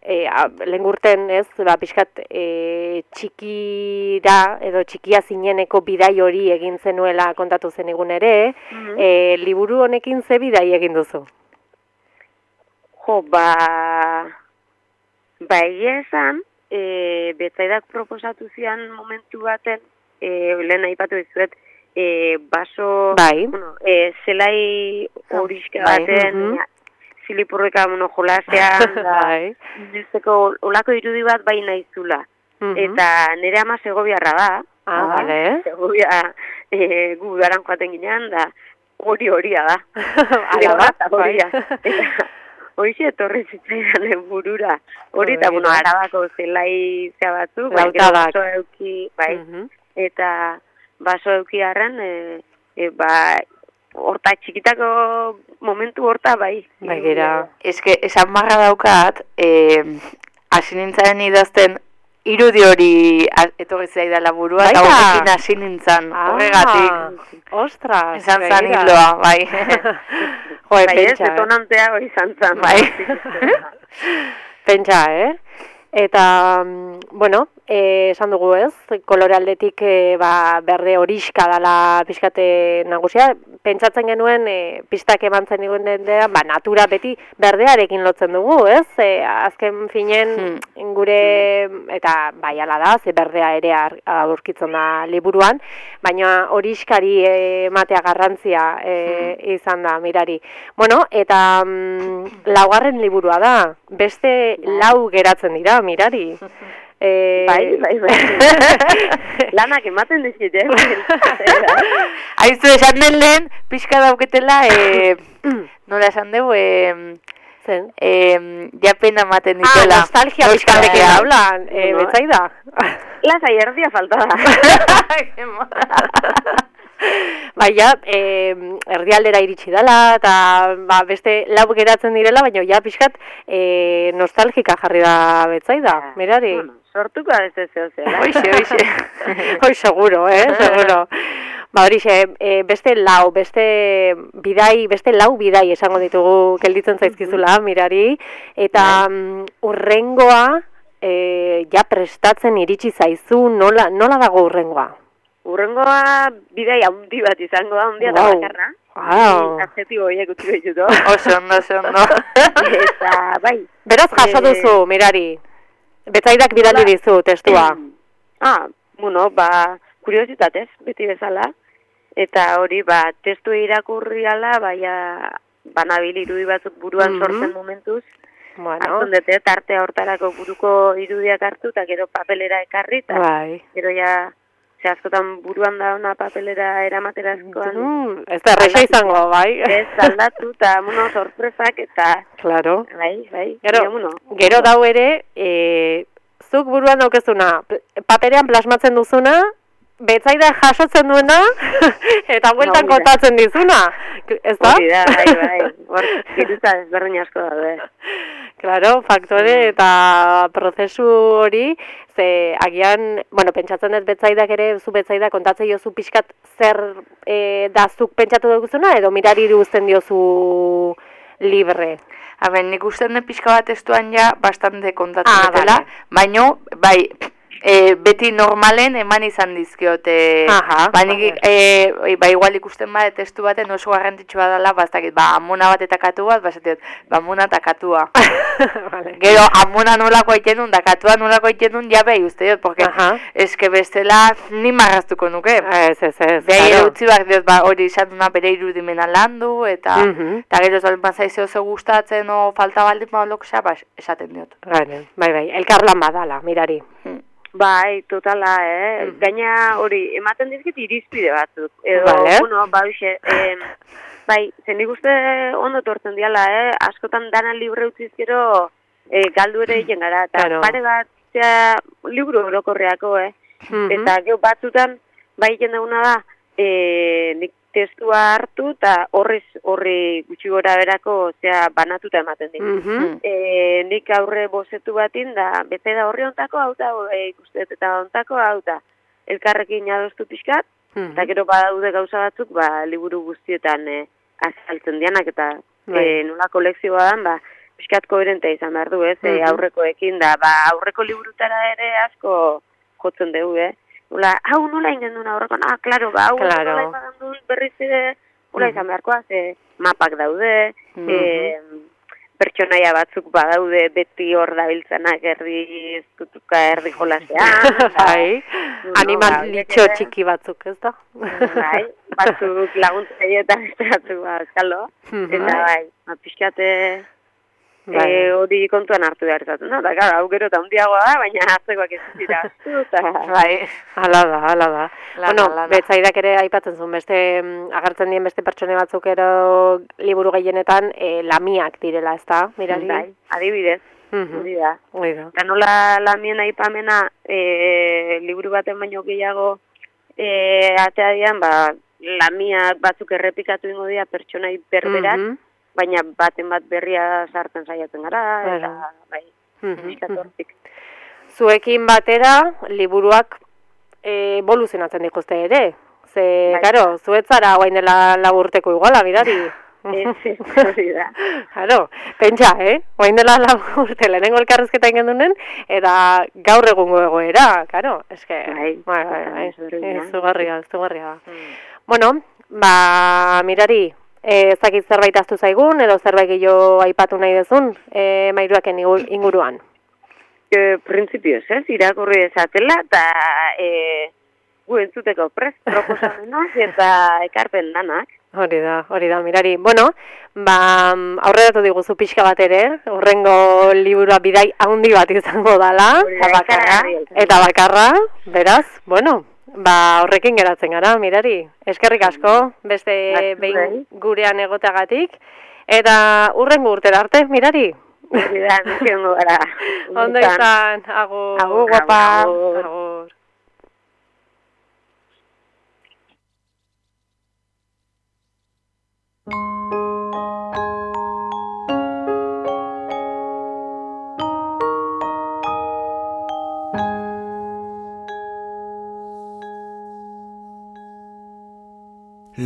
Speaker 1: e, lengurten ez, ba, pixkat e, txikira edo txikia zineneko bidai hori egin zenuela kontatu zenigun ere, mm-hmm. e, liburu honekin ze bidai egin duzu?
Speaker 4: Jo, ba... Ba, egia esan, e, betzaidak proposatu zian momentu baten, e, lehen aipatu dizuet, E, baso,
Speaker 1: bai.
Speaker 4: bueno, e, zelai horiska baten, bai. ja, zilipurreka bueno, jolasean, da, bai. Nizteko olako irudi bat bai naizula. Uh-huh. Eta nire ama segobiarra da.
Speaker 1: Ah, bale.
Speaker 4: Segobia e, gu daran joaten ginean, da hori horia da.
Speaker 1: Ala bat, horia.
Speaker 4: Eta horixe etorri zitzaidan burura. Hori eta, bueno, arabako zelai zea batzu, bai, baso euki, bai, uh-huh. eta baso eukiarren, e, e, ba, horta txikitako momentu horta, bai.
Speaker 2: Bagira. Eske, esan marra daukat, hasi e, nintzaren idazten, irudi hori etorri zaidala burua, eta horrekin hasi nintzen,
Speaker 1: ah,
Speaker 2: horregatik.
Speaker 1: Ostras,
Speaker 2: esan zan hiloa, bai.
Speaker 1: Joe,
Speaker 4: bai, pentsa, ez, detonantea hori izan zan.
Speaker 1: Bai. Pentsa, eh? Eta, bueno, eh, esan dugu ez, kolore aldetik eh, ba, berde horiska dala pixkate nagusia, pentsatzen genuen eh, pistak eman zen egun ba, natura beti berdearekin lotzen dugu, ez? Eh, azken finen hmm. gure, eta bai ala da, ze berdea ere aurkitzen da liburuan, baina horiskari ematea garrantzia eh, hmm. izan da, mirari. Bueno, eta mm, laugarren liburua da, beste lau geratzen dira, mirari.
Speaker 4: Eh... Bai, bai, bai. Lanak ematen dizit, eh?
Speaker 2: Aizu, esan den lehen, pixka dauketela, eh, nola esan dugu, eh,
Speaker 1: zen?
Speaker 2: Eh, japena ematen ditela.
Speaker 1: Ah, nostalgia pixka dekin hablan, eh, no, betzaida.
Speaker 4: Lasai erdia faltada.
Speaker 1: Bai, ja, eh, erdialdera iritsi dela, eta ba, beste lau geratzen direla, baina ja pixkat eh, nostalgika jarri da betzaida, mirari.
Speaker 4: Bueno, sortuko da ez ez zehozela.
Speaker 2: Hoixe, hoixe.
Speaker 1: Hoi, seguro, eh, seguro. Ba, horixe, e, beste lau, beste bidai, beste lau bidai esango ditugu gelditzen zaizkizula, mirari, eta um, urrengoa e, ja prestatzen iritsi zaizu, nola, nola dago urrengoa?
Speaker 4: Urrengoa bidai handi bat izango da, handia da bakarra.
Speaker 1: Wow.
Speaker 4: Adjetibo horiek utziko ditutu.
Speaker 2: Oso ondo, oso ondo.
Speaker 4: Eta, bai.
Speaker 1: Beraz, jaso duzu, mirari. Betzaidak bidali dizu, testua.
Speaker 4: Ah, bueno, ba, kuriositatez, beti bezala. Eta hori, ba, testu irakurri ala, baina, banabil irudi batzuk buruan
Speaker 1: Mhm.
Speaker 4: sortzen momentuz.
Speaker 1: Bueno,
Speaker 4: Hartzen dute, tartea hortarako buruko irudiak hartu, eta gero papelera ekarri, eta
Speaker 1: bai.
Speaker 4: gero ja, ze askotan buruan da ona papelera eramaterazkoan.
Speaker 1: Mm, ez da erresa izango, bai.
Speaker 4: Ez, aldatu, eta, bueno, sorpresak, eta,
Speaker 1: Claro.
Speaker 4: bai, bai.
Speaker 1: Gero,
Speaker 4: baina, bueno,
Speaker 1: gero dau ere, e, zuk buruan daukezuna, paperean plasmatzen duzuna, betzaida jasotzen duena, eta bueltan
Speaker 4: Hori da.
Speaker 1: kontatzen dizuna. Ez da?
Speaker 4: Hori da, bai, bai. Hor, giruta ezberdin asko daude.
Speaker 1: Claro, faktore eta prozesu hori, ze agian, bueno, pentsatzen dut betzaidak ere, zu betzaida kontatzen diozu pixkat zer e, da zuk pentsatu duguzuna, edo mirari uzten diozu libre.
Speaker 2: Habe, nik usten dut pixka bat testuan ja bastante kontatzen
Speaker 1: Ah,
Speaker 2: dutela,
Speaker 1: vale.
Speaker 2: baino, bai, e, beti normalen eman izan dizkiote.
Speaker 1: Aha,
Speaker 2: ba, nik,
Speaker 1: vale.
Speaker 2: e, ba, igual ikusten bat testu baten oso garrantzitsua dela, bastakit, ba, amona bat eta katu bat, basatiot, ba, amona eta katua.
Speaker 1: Vale.
Speaker 2: Gero, amona nolako egiten duen, da katua nolako egiten duen, ja behi uste diot, porque
Speaker 1: Aha.
Speaker 2: eske bestela ni marraztuko nuke.
Speaker 1: Ez, ez, ez,
Speaker 2: Behi
Speaker 1: claro.
Speaker 2: utzi behar diot, ba, hori izatuna bere irudimena landu, eta
Speaker 1: Mhm.
Speaker 2: eta gero ez bazaize oso gustatzen o falta baldin ba loksa, ba, esaten diot.
Speaker 1: Bai, bai, bai, elkarlan badala, mirari.
Speaker 4: Bai, totala, eh?
Speaker 1: Mhm.
Speaker 4: Gaina hori, ematen dizkit irizpide batzuk. Edo,
Speaker 1: Vale.
Speaker 4: bueno, ba, hoxe, eh, bai, zen nik uste ondo tortzen diala, eh? Askotan dana libre utziz gero eh, galdu ere egin gara. Eta
Speaker 1: Claro.
Speaker 4: pare bat, zera, liburu orokorreako, eh?
Speaker 1: Mhm.
Speaker 4: Eta gero batzutan, bai egin dauna da, eh, nik testua hartu, eta horrez, horri gutxi gora berako, zera, banatuta ematen dit.
Speaker 1: Mhm.
Speaker 4: E, nik aurre bozetu batin da, bete da horri ontako hau da, e, ikustet eta ontako hau da, elkarrekin adostu pixkat,
Speaker 1: Mhm.
Speaker 4: eta gero badaude gauza batzuk, ba, liburu guztietan e, azaltzen dianak, eta
Speaker 1: Bai.
Speaker 4: e, nola kolekzioa dan, ba, pixkat koherentea izan behar du, ez, e,
Speaker 1: Mhm.
Speaker 4: aurrekoekin da, ba, aurreko liburutara ere asko jotzen dugu, eh? Nola, hau nola ingen duen aurrekoan, ah, klaro, ba, hau
Speaker 1: Claro.
Speaker 4: nola izan duen berriz ere, nola
Speaker 1: Mhm.
Speaker 4: izan beharkoa, ze mapak daude,
Speaker 2: Mhm.
Speaker 4: e, pertsonaia batzuk badaude beti hor dabiltzanak herri ezkutuka herri jolasean.
Speaker 1: Bai,
Speaker 4: No,
Speaker 1: animal
Speaker 4: ba, horiek
Speaker 1: litxo
Speaker 4: ere,
Speaker 1: txiki batzuk, ez da?
Speaker 4: Bai, batzuk laguntzaile eta beste batzuk ba, eskalo.
Speaker 1: Mhm.
Speaker 4: Eta bai, ba, pixkate
Speaker 1: Bai.
Speaker 4: e, hori kontuan hartu behar zaten. No? Eta gara, hau gero eta hundiagoa da, baina hartzekoak ez dira astu, eta...
Speaker 2: Bai.
Speaker 1: Hala da, hala da.
Speaker 2: Lana,
Speaker 1: bueno,
Speaker 2: lana.
Speaker 1: betzaidak ere aipatzen zuen, beste, mm, agertzen dien beste pertsone batzuk ero liburu gehienetan e, lamiak direla, ez da, mirari?
Speaker 4: Bai, adibidez,
Speaker 1: Mhm.
Speaker 4: hori da.
Speaker 1: Hori da.
Speaker 4: Eta nola lamien aipamena e, liburu baten baino gehiago e, atea dian, ba, lamiak batzuk errepikatu ingo dira pertsonai berberak,
Speaker 1: Mhm.
Speaker 4: baina baten bat berria sartzen saiatzen gara,
Speaker 1: Claro.
Speaker 4: eta bai,
Speaker 1: Mhm.
Speaker 4: pixkat hortik.
Speaker 1: Zuekin batera, liburuak e, evoluzionatzen dituzte ere. Ze,
Speaker 4: Bai.
Speaker 1: karo, zuetzara guain dela laburteko iguala, mirari.
Speaker 4: Ez, ez, hori da.
Speaker 1: Claro, pentsa, eh? Guain dela laburte, lehenengo elkarrezketa ingen dunen, eta gaur egungo egoera, karo, eske,
Speaker 4: Bai,
Speaker 1: bai, bai, bai,
Speaker 4: ezberdina.
Speaker 1: izugarria, izugarria da. Bueno, ba, mirari, eh, ez dakit zerbait ahaztu zaigun, edo zerbait gehiago aipatu nahi duzun, eh, mairuaken igu- inguruan.
Speaker 4: E, Printzipioz, ez, irakurri dezatela, eta e, gu entzuteko prest proposamenak eta ekarpen danak.
Speaker 1: Hori da, hori da, mirari. Bueno, ba, aurreratu diguzu pixka bat ere, urrengo liburua bidai handi bat izango dala,
Speaker 4: Hori da,
Speaker 1: eta bakarra,
Speaker 4: ikaragarri.
Speaker 1: eta bakarra, beraz, bueno, ba, horrekin geratzen gara, mirari. Eskerrik asko, beste
Speaker 4: Bat
Speaker 1: behin
Speaker 4: zurei.
Speaker 1: gurean egoteagatik, eta urrengo urtera arte, mirari.
Speaker 4: Hori da, niziongo gara.
Speaker 1: Ondo izan, agur,
Speaker 4: Agur,
Speaker 1: guapa,
Speaker 4: agur.
Speaker 1: agur.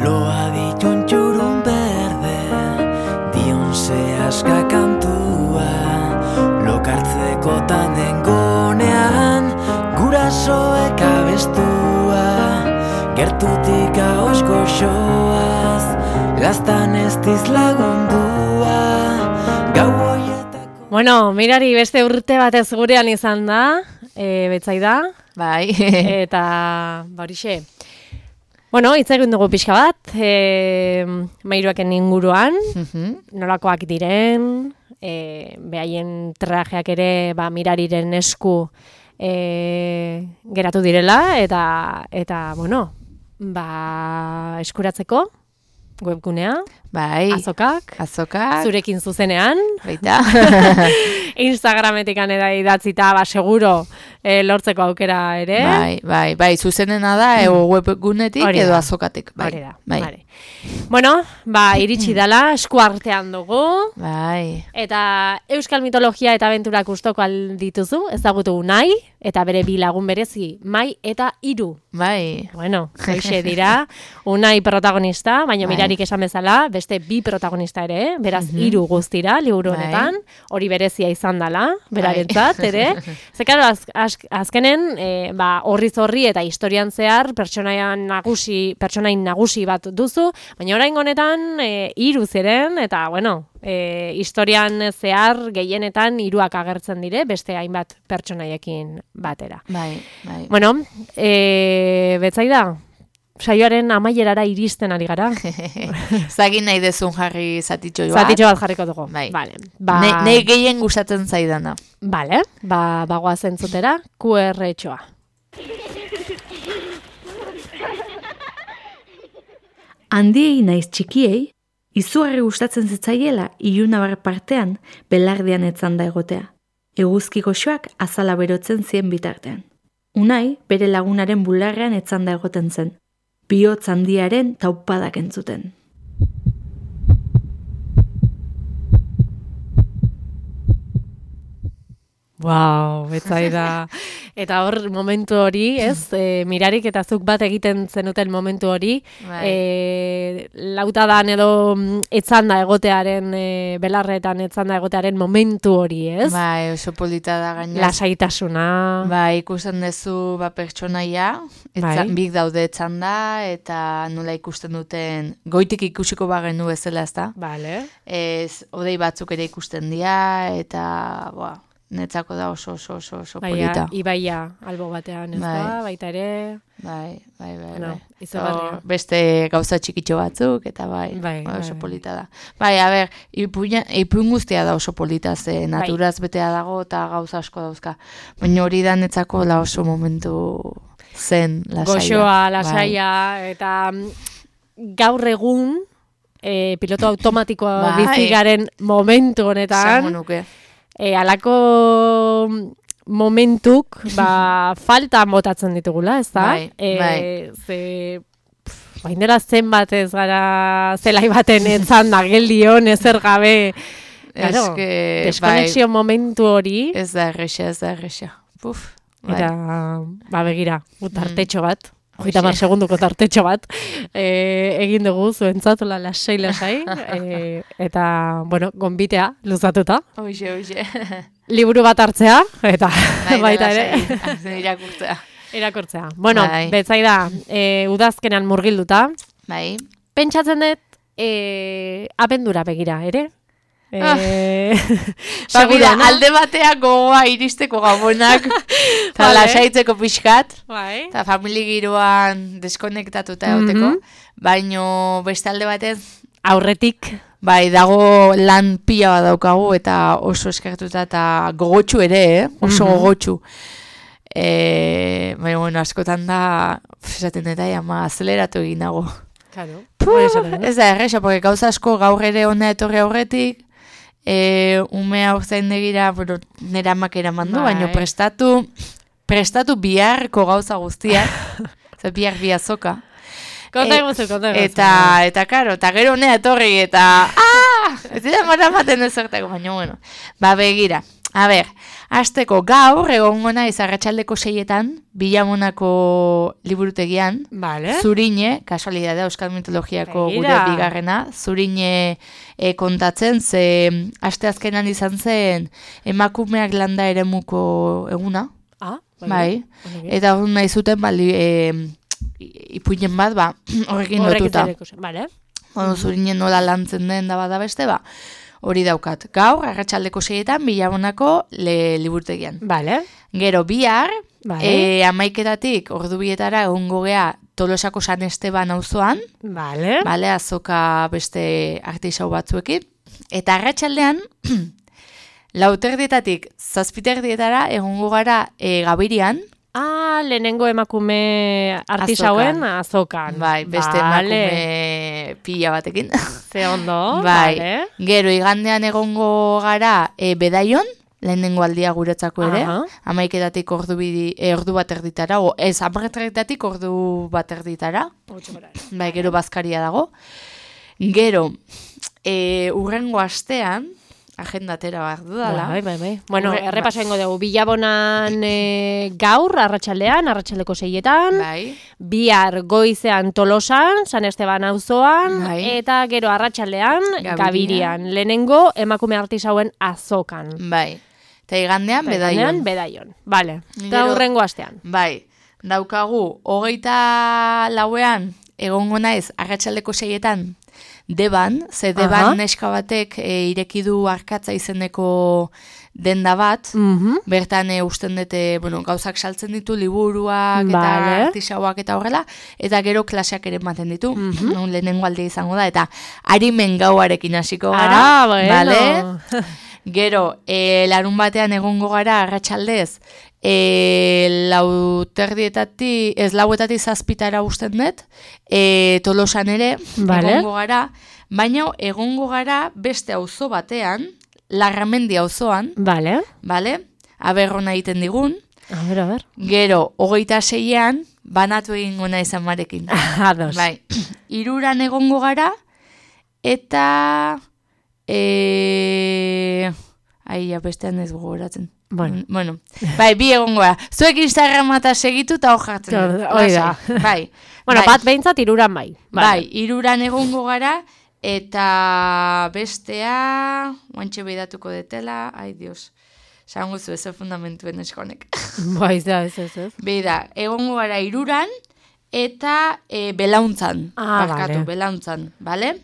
Speaker 5: Loa ditun txurun berde, dion zehaska kantua, lokartzeko tanen gonean, gurasoek abestua, gertutik ahosko xoaz, gaztan ez diz lagundua, gau hoietako...
Speaker 1: Bueno, mirari beste urte batez gurean izan da, e, Betsaida.
Speaker 2: Bai.
Speaker 1: Eta, barixe, bueno, hitz egin dugu pixka bat, e, mairuaken inguruan, nolakoak diren, e, behaien trajeak ere ba, mirariren esku e, geratu direla, eta, eta bueno, ba, eskuratzeko, webgunea,
Speaker 2: bai,
Speaker 1: azokak,
Speaker 2: azokak,
Speaker 1: zurekin zuzenean,
Speaker 2: baita,
Speaker 1: Instagrametik anera idatzita, ba, seguro e, lortzeko aukera ere.
Speaker 2: Bai, bai, bai, zuzenena da, mm. ego webgunetik
Speaker 1: Hori
Speaker 2: edo
Speaker 1: da.
Speaker 2: azokatik, bai.
Speaker 1: Hori da,
Speaker 2: bai.
Speaker 1: Vale. Bueno, ba, iritsi dela, esku artean dugu,
Speaker 2: Bai,
Speaker 1: eta euskal mitologia eta abenturak ustoko aldituzu, ezagutu nahi, eta bere bi lagun berezi, Mai eta Hiru.
Speaker 2: bai,
Speaker 1: Bueno, hoixe dira, Unai protagonista, baina
Speaker 2: Bai.
Speaker 1: mirarik esan bezala, beste bi protagonista ere, beraz
Speaker 2: Mhm.
Speaker 1: hiru guztira, liburu
Speaker 2: Bai.
Speaker 1: honetan, hori berezia izan dela, berarentzat ere. Ze claro, az, az, azkenen, e, ba, horriz horri eta historian zehar pertsonaia nagusi, pertsonain nagusi bat duzu, baina orain honetan e, hiru ziren, eta bueno, e, historian zehar gehienetan hiruak agertzen dire, beste hainbat pertsonaiekin batera.
Speaker 2: bai, bai.
Speaker 1: Bueno, e, Betsaida, saioaren amaierara iristen ari gara.
Speaker 2: Zagin nahi dezun jarri zatitxo bat.
Speaker 1: Zatitxo bat jarriko dugu.
Speaker 2: Bai.
Speaker 1: Vale. Ba,
Speaker 2: Ne, ne gehien gustatzen zaidana.
Speaker 1: Vale, ba, bagoa zentzutera, Q R txoa.
Speaker 6: Handiei naiz txikiei, izugarri gustatzen zitzaiela ilunabar partean belardian etzanda egotea. Eguzki goxoak azala berotzen zien bitartean. Unai bere lagunaren bularrean etzanda egoten zen. Bihotz handiaren taupadak entzuten.
Speaker 1: Wow, Betsaida. Eta hor momentu hori, ez, e, mirarik eta zuk bat egiten zenuten momentu hori,
Speaker 2: Bai.
Speaker 1: e, lautadan edo mm, etzanda egotearen, e, belarretan etzanda egotearen momentu hori, ez?
Speaker 2: Bai, oso polita da gaina.
Speaker 1: Lasaitasuna.
Speaker 2: Bai, ikusten duzu ba, pertsonaia,
Speaker 1: Bai.
Speaker 2: etzan, bik daude etzanda, eta nola ikusten duten, goitik ikusiko bagenu bezala, ezta?
Speaker 1: Vale.
Speaker 2: Ez, odei batzuk ere ikusten dira, eta, boa, netzako da oso, oso, oso, oso
Speaker 1: Baina,
Speaker 2: polita.
Speaker 1: ibaia albo batean, ez
Speaker 2: Bai.
Speaker 1: da, baita ere,
Speaker 2: Bai, bai, bai,
Speaker 1: Bueno,
Speaker 2: bai.
Speaker 1: izugarria.
Speaker 2: Hor, beste gauza txikitxo batzuk, eta bai,
Speaker 1: Bai,
Speaker 2: bai, oso
Speaker 1: bai.
Speaker 2: polita da. Bai, a ber, ipuina, ipuin guztia da oso polita, ze naturaz betea dago eta gauza asko dauzka. Baina hori da netzako la oso momentu zen, lasaia.
Speaker 1: goxoa, lasaia, eta mm, gaur egun, e, piloto automatikoa
Speaker 2: Bai.
Speaker 1: bizi garen momentu
Speaker 2: Esango
Speaker 1: honetan,
Speaker 2: nuke.
Speaker 1: e, alako momentuk, ba, falta botatzen ditugula, ez da?
Speaker 2: Bai, bai.
Speaker 1: Ze, pff, baindela zenbat ez gara zelai baten etzan da geldion, ezer gabe, claro,
Speaker 2: Eske,
Speaker 1: deskonexio momentu hori,
Speaker 2: bai, ez da erresa, ez da erresa. Puf, bai.
Speaker 1: eta, ba, begira, tartetxo bat,
Speaker 2: Hoxe.
Speaker 1: hogeita hamar segunduko tartetxo bat, e, egin dugu zuentzatula lasai lasai, e, eta, bueno, gonbitea luzatuta,
Speaker 2: Hoxe, hoxe.
Speaker 1: liburu bat hartzea, eta
Speaker 2: Bai,
Speaker 1: baita
Speaker 2: lasai,
Speaker 1: ere,
Speaker 2: irakurtzea.
Speaker 1: irakurtzea. Bueno,
Speaker 2: Bai.
Speaker 1: Betsaida, e, udazkenan murgilduta,
Speaker 2: Bai.
Speaker 1: pentsatzen dut, e, abendura begira, ere? E,
Speaker 2: Ba,
Speaker 1: segura,
Speaker 2: mira,
Speaker 1: no?
Speaker 2: alde batean gogoa iristeko gabonak, eta
Speaker 1: Vale.
Speaker 2: lasaitzeko pixkat,
Speaker 1: Bai.
Speaker 2: eta famili giroan deskonektatuta egoteko,
Speaker 1: Mhm.
Speaker 2: baino beste alde batez,
Speaker 1: Aurretik,
Speaker 2: bai, dago lan pila bat daukagu, eta oso eskertuta, eta gogotsu ere, eh? oso
Speaker 1: Mhm.
Speaker 2: gogotsu. E, baina, bueno, askotan da, pf, esaten eta ama, azeleratu egin nago.
Speaker 1: claro,
Speaker 2: Puh,
Speaker 1: hori esaten dut.
Speaker 2: ez da erresa, porque gauza asko gaur ere hona etorri aurretik, e, umea urzain degira, bueno, nera amak eraman du,
Speaker 1: Bai.
Speaker 2: baina prestatu, prestatu biharko gauza guztiak, ze bihar bi azoka.
Speaker 1: Konta
Speaker 2: E-
Speaker 1: eguzu, konta eguzu.
Speaker 2: Eta, eta, karo, eta gero honea etorri, eta, ah, ez dira maramaten ezertako, baina, bueno, ba, begira. A ber, hasteko gaur, egongo naiz arratsaldeko seietan, Bilamonako liburutegian,
Speaker 1: Vale.
Speaker 2: Zurine, kasualidadea Euskal Mitologiako
Speaker 1: Begira.
Speaker 2: gure bigarrena, Zurine e, kontatzen, ze asteazkenan izan zen emakumeak landa eremuko eguna,
Speaker 1: Ah,
Speaker 2: bai,
Speaker 1: Eta
Speaker 2: eta hor nahi zuten bali, e, ipuinen bat, ba, horrekin lotuta.
Speaker 1: Vale.
Speaker 2: ondo zurinen nola lantzen den da bada beste, ba, hori daukat. Gaur, arratsaldeko seietan, Bilabonako le, liburutegian.
Speaker 1: Vale.
Speaker 2: Gero, bihar,
Speaker 1: Vale.
Speaker 2: e, amaiketatik ordu bietara egongo gea Tolosako San Esteban auzoan,
Speaker 1: Vale.
Speaker 2: bale, azoka beste artisau batzuekin, eta arratsaldean, lauterdietatik zazpiterdietara egongo gara e, Gabirian,
Speaker 1: Ah, lehenengo emakume artisauen azokan.
Speaker 2: bai, beste
Speaker 1: vale.
Speaker 2: emakume pila batekin.
Speaker 1: Ze ondo,
Speaker 2: bai.
Speaker 1: vale.
Speaker 2: Gero igandean egongo gara e, Bedaion, lehenengo aldia guretzako ere,
Speaker 1: Aha.
Speaker 2: amaiketatik ordu, bidi, e, ordu bat erditara, o ez, amaiketatik ordu bat erditara, bai, gero bazkaria dago. Gero, e, urrengo astean, agendatera behar dudala.
Speaker 1: Bai, bai, bai. Bueno,
Speaker 2: Horre-
Speaker 1: errepaso egingo dugu. Bilabonan e, gaur, arratsaldean, arratsaldeko seietan,
Speaker 2: Bai,
Speaker 1: bihar goizean Tolosan, San Esteban auzoan,
Speaker 2: Bai.
Speaker 1: eta gero arratsaldean
Speaker 2: Gabirian.
Speaker 1: Gabirian. Lehenengo emakume artisauen azokan.
Speaker 2: bai. Eta igandean
Speaker 1: Eta
Speaker 2: Bedaion.
Speaker 1: igandean, Bedaion. Vale. Eta
Speaker 2: Gero-
Speaker 1: hurrengo astean.
Speaker 2: Bai, daukagu, hogeita lauean, egongo naiz, arratsaldeko seietan, Deban, ze Deban
Speaker 1: Aha.
Speaker 2: neska batek e, ireki du Arkatza izeneko denda bat,
Speaker 1: Mhm.
Speaker 2: bertan e, usten dute, bueno, gauzak saltzen ditu, liburuak eta
Speaker 1: Vale.
Speaker 2: artisauak eta horrela, eta gero klaseak ere ematen ditu,
Speaker 1: Mhm.
Speaker 2: non lehenengo alde izango da, eta arimen gauarekin hasiko gara,
Speaker 1: Ah, bueno.
Speaker 2: bale? Gero, e, larun batean egongo gara arratsaldez, e, lauterdietatik, ez lauetatik zazpitara usten dut, e, Tolosan ere,
Speaker 1: Vale.
Speaker 2: egongo gara, baina egongo gara beste auzo batean, Larramendi auzoan,
Speaker 1: Vale.
Speaker 2: bale? Aberrona egiten digun,
Speaker 1: A ver, a ver.
Speaker 2: gero, hogeita seian, banatu egingo naiz amarekin.
Speaker 1: Ados.
Speaker 2: Bai, iruran egongo gara, eta... E... Ai, ja, bestean ez gogoratzen.
Speaker 1: Bueno.
Speaker 2: Mm, bueno, bai, bi egongo gara. Zuek Instagrama eta segitu eta hor jartzen.
Speaker 1: Hor-
Speaker 2: dut.
Speaker 1: hori da.
Speaker 2: Lasai. Bai.
Speaker 1: Bueno,
Speaker 2: bai.
Speaker 1: bat behintzat iruran bai.
Speaker 2: Bai, iruran egongo gara, eta bestea, oantxe behidatuko detela, ai dios, zango zu ez fundamentuen eskonek.
Speaker 1: Bai, da, ez, ez, ez.
Speaker 2: Beida, egongo gara iruran, eta e, belauntzan,
Speaker 1: Ah,
Speaker 2: barkatu,
Speaker 1: vale.
Speaker 2: belauntzan, bale?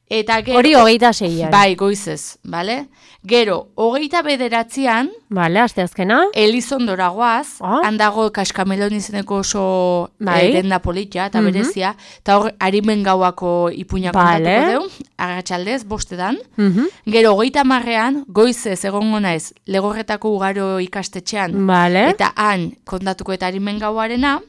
Speaker 2: Eta gero,
Speaker 1: Hori hogeita seian.
Speaker 2: bai, goizez, bale? Gero, hogeita bederatzean,
Speaker 1: Vale, asteazkena.
Speaker 2: Elizondora goaz,
Speaker 1: Ah.
Speaker 2: handago kaskamelon izeneko oso
Speaker 1: Bai.
Speaker 2: eh, denda politia eta
Speaker 1: Mhm.
Speaker 2: berezia, eta hor harimen gauako ipuina
Speaker 1: Vale.
Speaker 2: kontatuko deu, arratsaldez, bostetan.
Speaker 1: Mhm.
Speaker 2: Gero, hogeita marrean, goizez egongo naiz, Legorretako ugaro ikastetxean,
Speaker 1: Vale.
Speaker 2: eta han kontatuko eta harimen gauarena,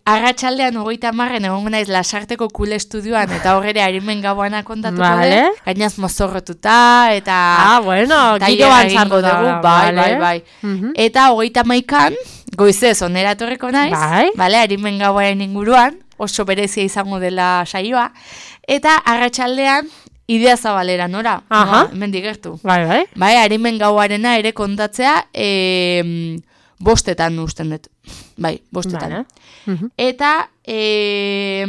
Speaker 2: arratsaldean hogeita marren egongo naiz Lasarteko kule estudioan, eta horre harimen gauana kontatuko
Speaker 1: Vale.
Speaker 2: deu, gainaz mozorrotuta, eta...
Speaker 1: Ah, bueno,
Speaker 2: tailerra
Speaker 1: giroan
Speaker 2: egingo
Speaker 1: sartu
Speaker 2: dugu,
Speaker 1: da.
Speaker 2: bai,
Speaker 1: vale.
Speaker 2: bai, bai.
Speaker 1: Mhm.
Speaker 2: Eta hogeita maikan, goizez onera etorriko naiz,
Speaker 1: Bai.
Speaker 2: bale, harimen gauaren inguruan, oso berezia izango dela saioa, eta arratsaldean idea zabalera, nora?
Speaker 1: Aha.
Speaker 2: Noa, hemen digertu.
Speaker 1: Bai, bai.
Speaker 2: Bai, harimen gauarena ere kontatzea, e, bostetan usten dut. Bai, bostetan.
Speaker 1: Vale. Mhm.
Speaker 2: Eta e,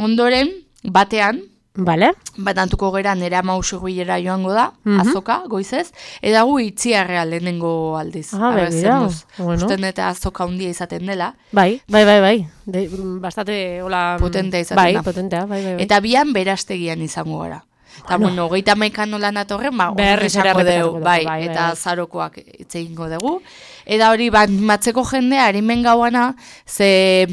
Speaker 2: ondoren, batean,
Speaker 1: Vale.
Speaker 2: banatuko gera nera mausuguilera joango da,
Speaker 1: Mhm.
Speaker 2: azoka, goizez, eta gu itziarrea lehenengo aldiz.
Speaker 1: Ah,
Speaker 2: Arra,
Speaker 1: begira,
Speaker 2: zen duz.
Speaker 1: bueno.
Speaker 2: Usten eta azoka handia izaten dela.
Speaker 1: Bai, bai, bai, bai. De, bastante, hola...
Speaker 2: Potentea izaten
Speaker 1: bai,
Speaker 2: da.
Speaker 1: potentea, bai, bai, bai.
Speaker 2: Eta bian berastegian izango gara. Eta, bueno, hogeita maikan nola natorren, ba,
Speaker 1: Berriz ere
Speaker 2: esango
Speaker 1: errepikatuko
Speaker 2: dugu,
Speaker 1: dugu,
Speaker 2: bai,
Speaker 1: bai, bai,
Speaker 2: eta
Speaker 1: bai.
Speaker 2: zarokoak hitz egingo dugu. Eta hori, bat, matzeko jendea, harimen gauana, ze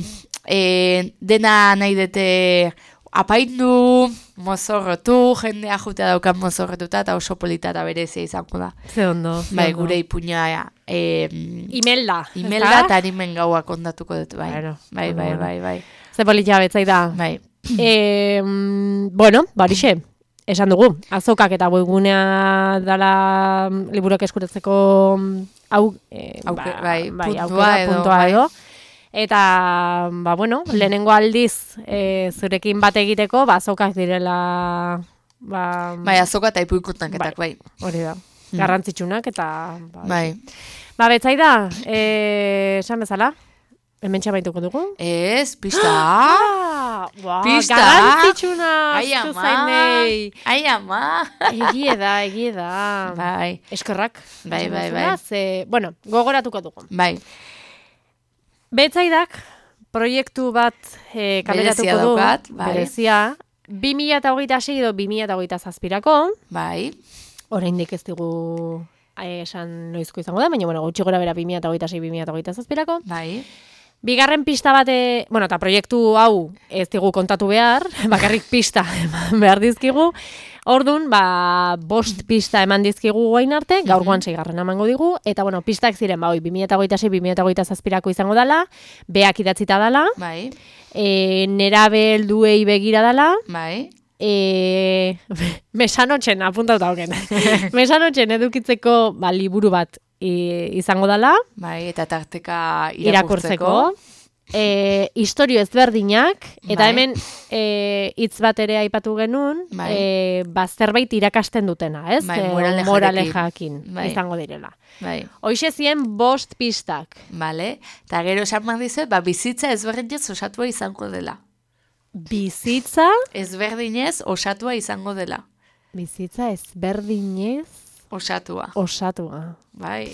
Speaker 2: e, dena nahi dute apaindu, mozorrotu, jendea jutea daukan mozorrotuta, eta oso polita eta berezia izango da.
Speaker 1: Ze ondo. ze
Speaker 2: Bai,
Speaker 1: ondo.
Speaker 2: gure ipuña, e,
Speaker 1: Imelda.
Speaker 2: imelda
Speaker 1: ezta?
Speaker 2: eta harimen gaua kontatuko dut, bai.
Speaker 1: Bueno,
Speaker 2: Bai, bai,
Speaker 1: bueno.
Speaker 2: bai, bai.
Speaker 1: Ze politia betzai da.
Speaker 2: Bai.
Speaker 1: E, bueno, barixe, esan dugu, azokak eta webgunea dala liburuak eskuratzeko hau, e,
Speaker 2: Auke- bai, puntua
Speaker 1: aukera,
Speaker 2: edo,
Speaker 1: puntua
Speaker 2: bai.
Speaker 1: edo. Eta, ba, bueno, lehenengo aldiz e, zurekin bat egiteko, ba, azokak direla, ba,
Speaker 2: Bai, azoka eta ipuikuntanketak, bai.
Speaker 1: hori da, garrantzitsunak eta, ba,
Speaker 2: Bai.
Speaker 1: ba betzai da, e, esan bezala, hemen txabaituko dugu.
Speaker 2: Ez, pista.
Speaker 1: Ah, wow,
Speaker 2: Pista.
Speaker 1: garrantzitsuna,
Speaker 2: Ai,
Speaker 1: astu
Speaker 2: ama.
Speaker 1: zainei.
Speaker 2: Ai, ama.
Speaker 1: Egie da, egie da.
Speaker 2: Bai,
Speaker 1: Eskerrak.
Speaker 2: Bai, bai,
Speaker 1: Esan bezala,
Speaker 2: bai.
Speaker 1: Ze, bueno, gogoratuko dugu.
Speaker 2: bai.
Speaker 1: Betzaidak, proiektu bat e, kameratuko
Speaker 2: Berezia
Speaker 1: du.
Speaker 2: daukat, bai.
Speaker 1: Berezia. bi mila hogeita sei edo bi mila hogeita zazpirako.
Speaker 2: Bai.
Speaker 1: Oraindik ez digu eh, esan noizko izango da, baina bueno, gutxi gora bera bi mila hogeita sei bi mila hogeita zazpirako.
Speaker 2: Bai.
Speaker 1: Bigarren pista bate, bueno, eta proiektu hau ez digu kontatu behar, bakarrik pista eman behar dizkigu. Ordun, ba, bost pista eman dizkigu guain arte, gaurkoan seigarren emango digu, eta bueno, pistak ziren, ba, bi mila hogeita sei bi mila hogeita zazpirako izango dela, beak idatzita dela,
Speaker 2: Bai.
Speaker 1: e, nerabe helduei begira dela,
Speaker 2: Bai.
Speaker 1: e, mesanotxen, apuntauta hoken, mesanotxen edukitzeko ba, liburu bat i, izango dela,
Speaker 2: Bai, eta tarteka
Speaker 1: irakurtzeko,
Speaker 2: irakurtzeko.
Speaker 1: e, historio ezberdinak, eta
Speaker 2: Bai.
Speaker 1: hemen e, hitz bat ere aipatu genuen,
Speaker 2: Bai.
Speaker 1: e, ba, zerbait irakasten dutena, ez?
Speaker 2: Bai,
Speaker 1: E,
Speaker 2: moralejarekin.
Speaker 1: moralejakin
Speaker 2: Bai.
Speaker 1: izango direla.
Speaker 2: Bai.
Speaker 1: Hoixe zien bost pistak.
Speaker 2: Vale. Eta gero esan behar dizuet, ba, bizitza ezberdinez osatua izango dela.
Speaker 1: Bizitza,
Speaker 2: Ezberdinez osatua izango dela.
Speaker 1: bizitza ezberdinez
Speaker 2: Osatua.
Speaker 1: osatua.
Speaker 2: Bai.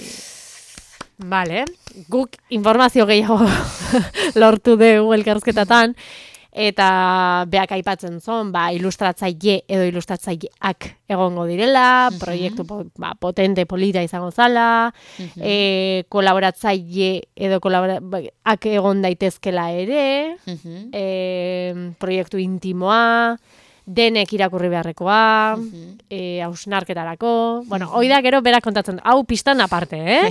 Speaker 1: Vale, guk informazio gehiago lortu dugu elkarrizketatan, eta beak aipatzen zon, ba, ilustratzaile edo ilustratzaileak egongo direla, proiektu po, ba, potente polita izango zala, e, kolaboratzaile edo kolaborak egon daitezkela ere,
Speaker 2: Mhm.
Speaker 1: e, proiektu intimoa, denek irakurri beharrekoa,
Speaker 2: Mhm.
Speaker 1: e, hausnarketarako, bueno, hoi da gero berak kontatzen, hau pistan aparte, eh?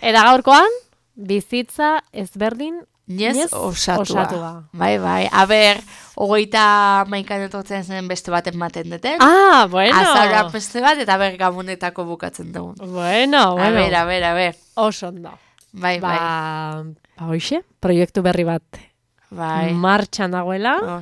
Speaker 1: Eta gaurkoan, bizitza ezberdin
Speaker 2: Nez
Speaker 1: Nez
Speaker 2: osatua.
Speaker 1: osatua.
Speaker 2: Bai, bai. Aber, hogeita maikan etortzen zen beste bat ematen duten.
Speaker 1: Ah, bueno.
Speaker 2: Azaura beste bat, eta ber gabonetako bukatzen dugu.
Speaker 1: Bueno, bueno.
Speaker 2: A ber, a ber, a ber.
Speaker 1: Oso ondo.
Speaker 2: Bai, bai.
Speaker 1: Ba, ba hoxe, proiektu berri bat
Speaker 2: Bai.
Speaker 1: martxan dagoela.
Speaker 2: Oh.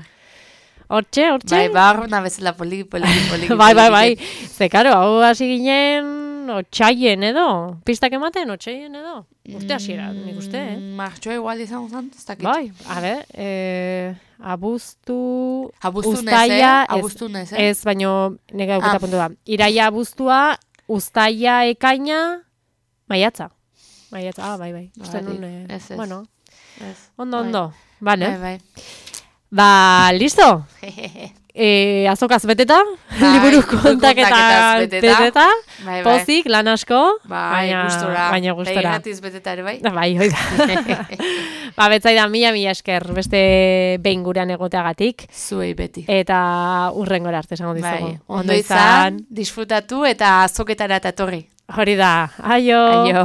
Speaker 1: Hortxe, hortxe.
Speaker 2: Bai, barruna bezala poliki, poliki, poliki.
Speaker 1: bai, bai, bai.
Speaker 2: poliki.
Speaker 1: Ze, karo, hau hasi ginen otxaien edo. Pistak ematen otxaien edo. Urte hasiera, nik uste, eh?
Speaker 2: Mm, Martxoa igual izango zen, ez dakit.
Speaker 1: Bai, a ber, eh, abuztu...
Speaker 2: Abuztu nez, eh?
Speaker 1: uztaila, ez-
Speaker 2: Abuztu nez, eh?
Speaker 1: Ez, baino, nega euketa
Speaker 2: Ah.
Speaker 1: puntu da. Iraia abuztua, uztaila ekaina, maiatza. Maiatza, ah, bai, bai. Uste
Speaker 2: Bagatik,
Speaker 1: nun, eh,
Speaker 2: ez, ez.
Speaker 1: bueno,
Speaker 2: Ez.
Speaker 1: ondo,
Speaker 2: Bai.
Speaker 1: ondo. Vale.
Speaker 2: Bai, bai.
Speaker 1: Ba, listo? E, azokaz beteta,
Speaker 2: Bai,
Speaker 1: liburu
Speaker 2: liburu
Speaker 1: kontaketa
Speaker 2: kontaketaz beteta.
Speaker 1: beteta,
Speaker 2: Bai, bai.
Speaker 1: pozik, lan asko,
Speaker 2: Bai,
Speaker 1: baina,
Speaker 2: gustora.
Speaker 1: baina gustora.
Speaker 2: Begiratiz beteta ere, bai?
Speaker 1: Bai, hoi da. Ba, betzaida, mila, mila esker, beste behin gurean egoteagatik,
Speaker 2: Zuei beti.
Speaker 1: eta urrengora arte esango dizugu.
Speaker 2: Bai, ondo izan, disfrutatu eta azoketara eta etorri.
Speaker 1: Hori da, aio!
Speaker 2: Aio.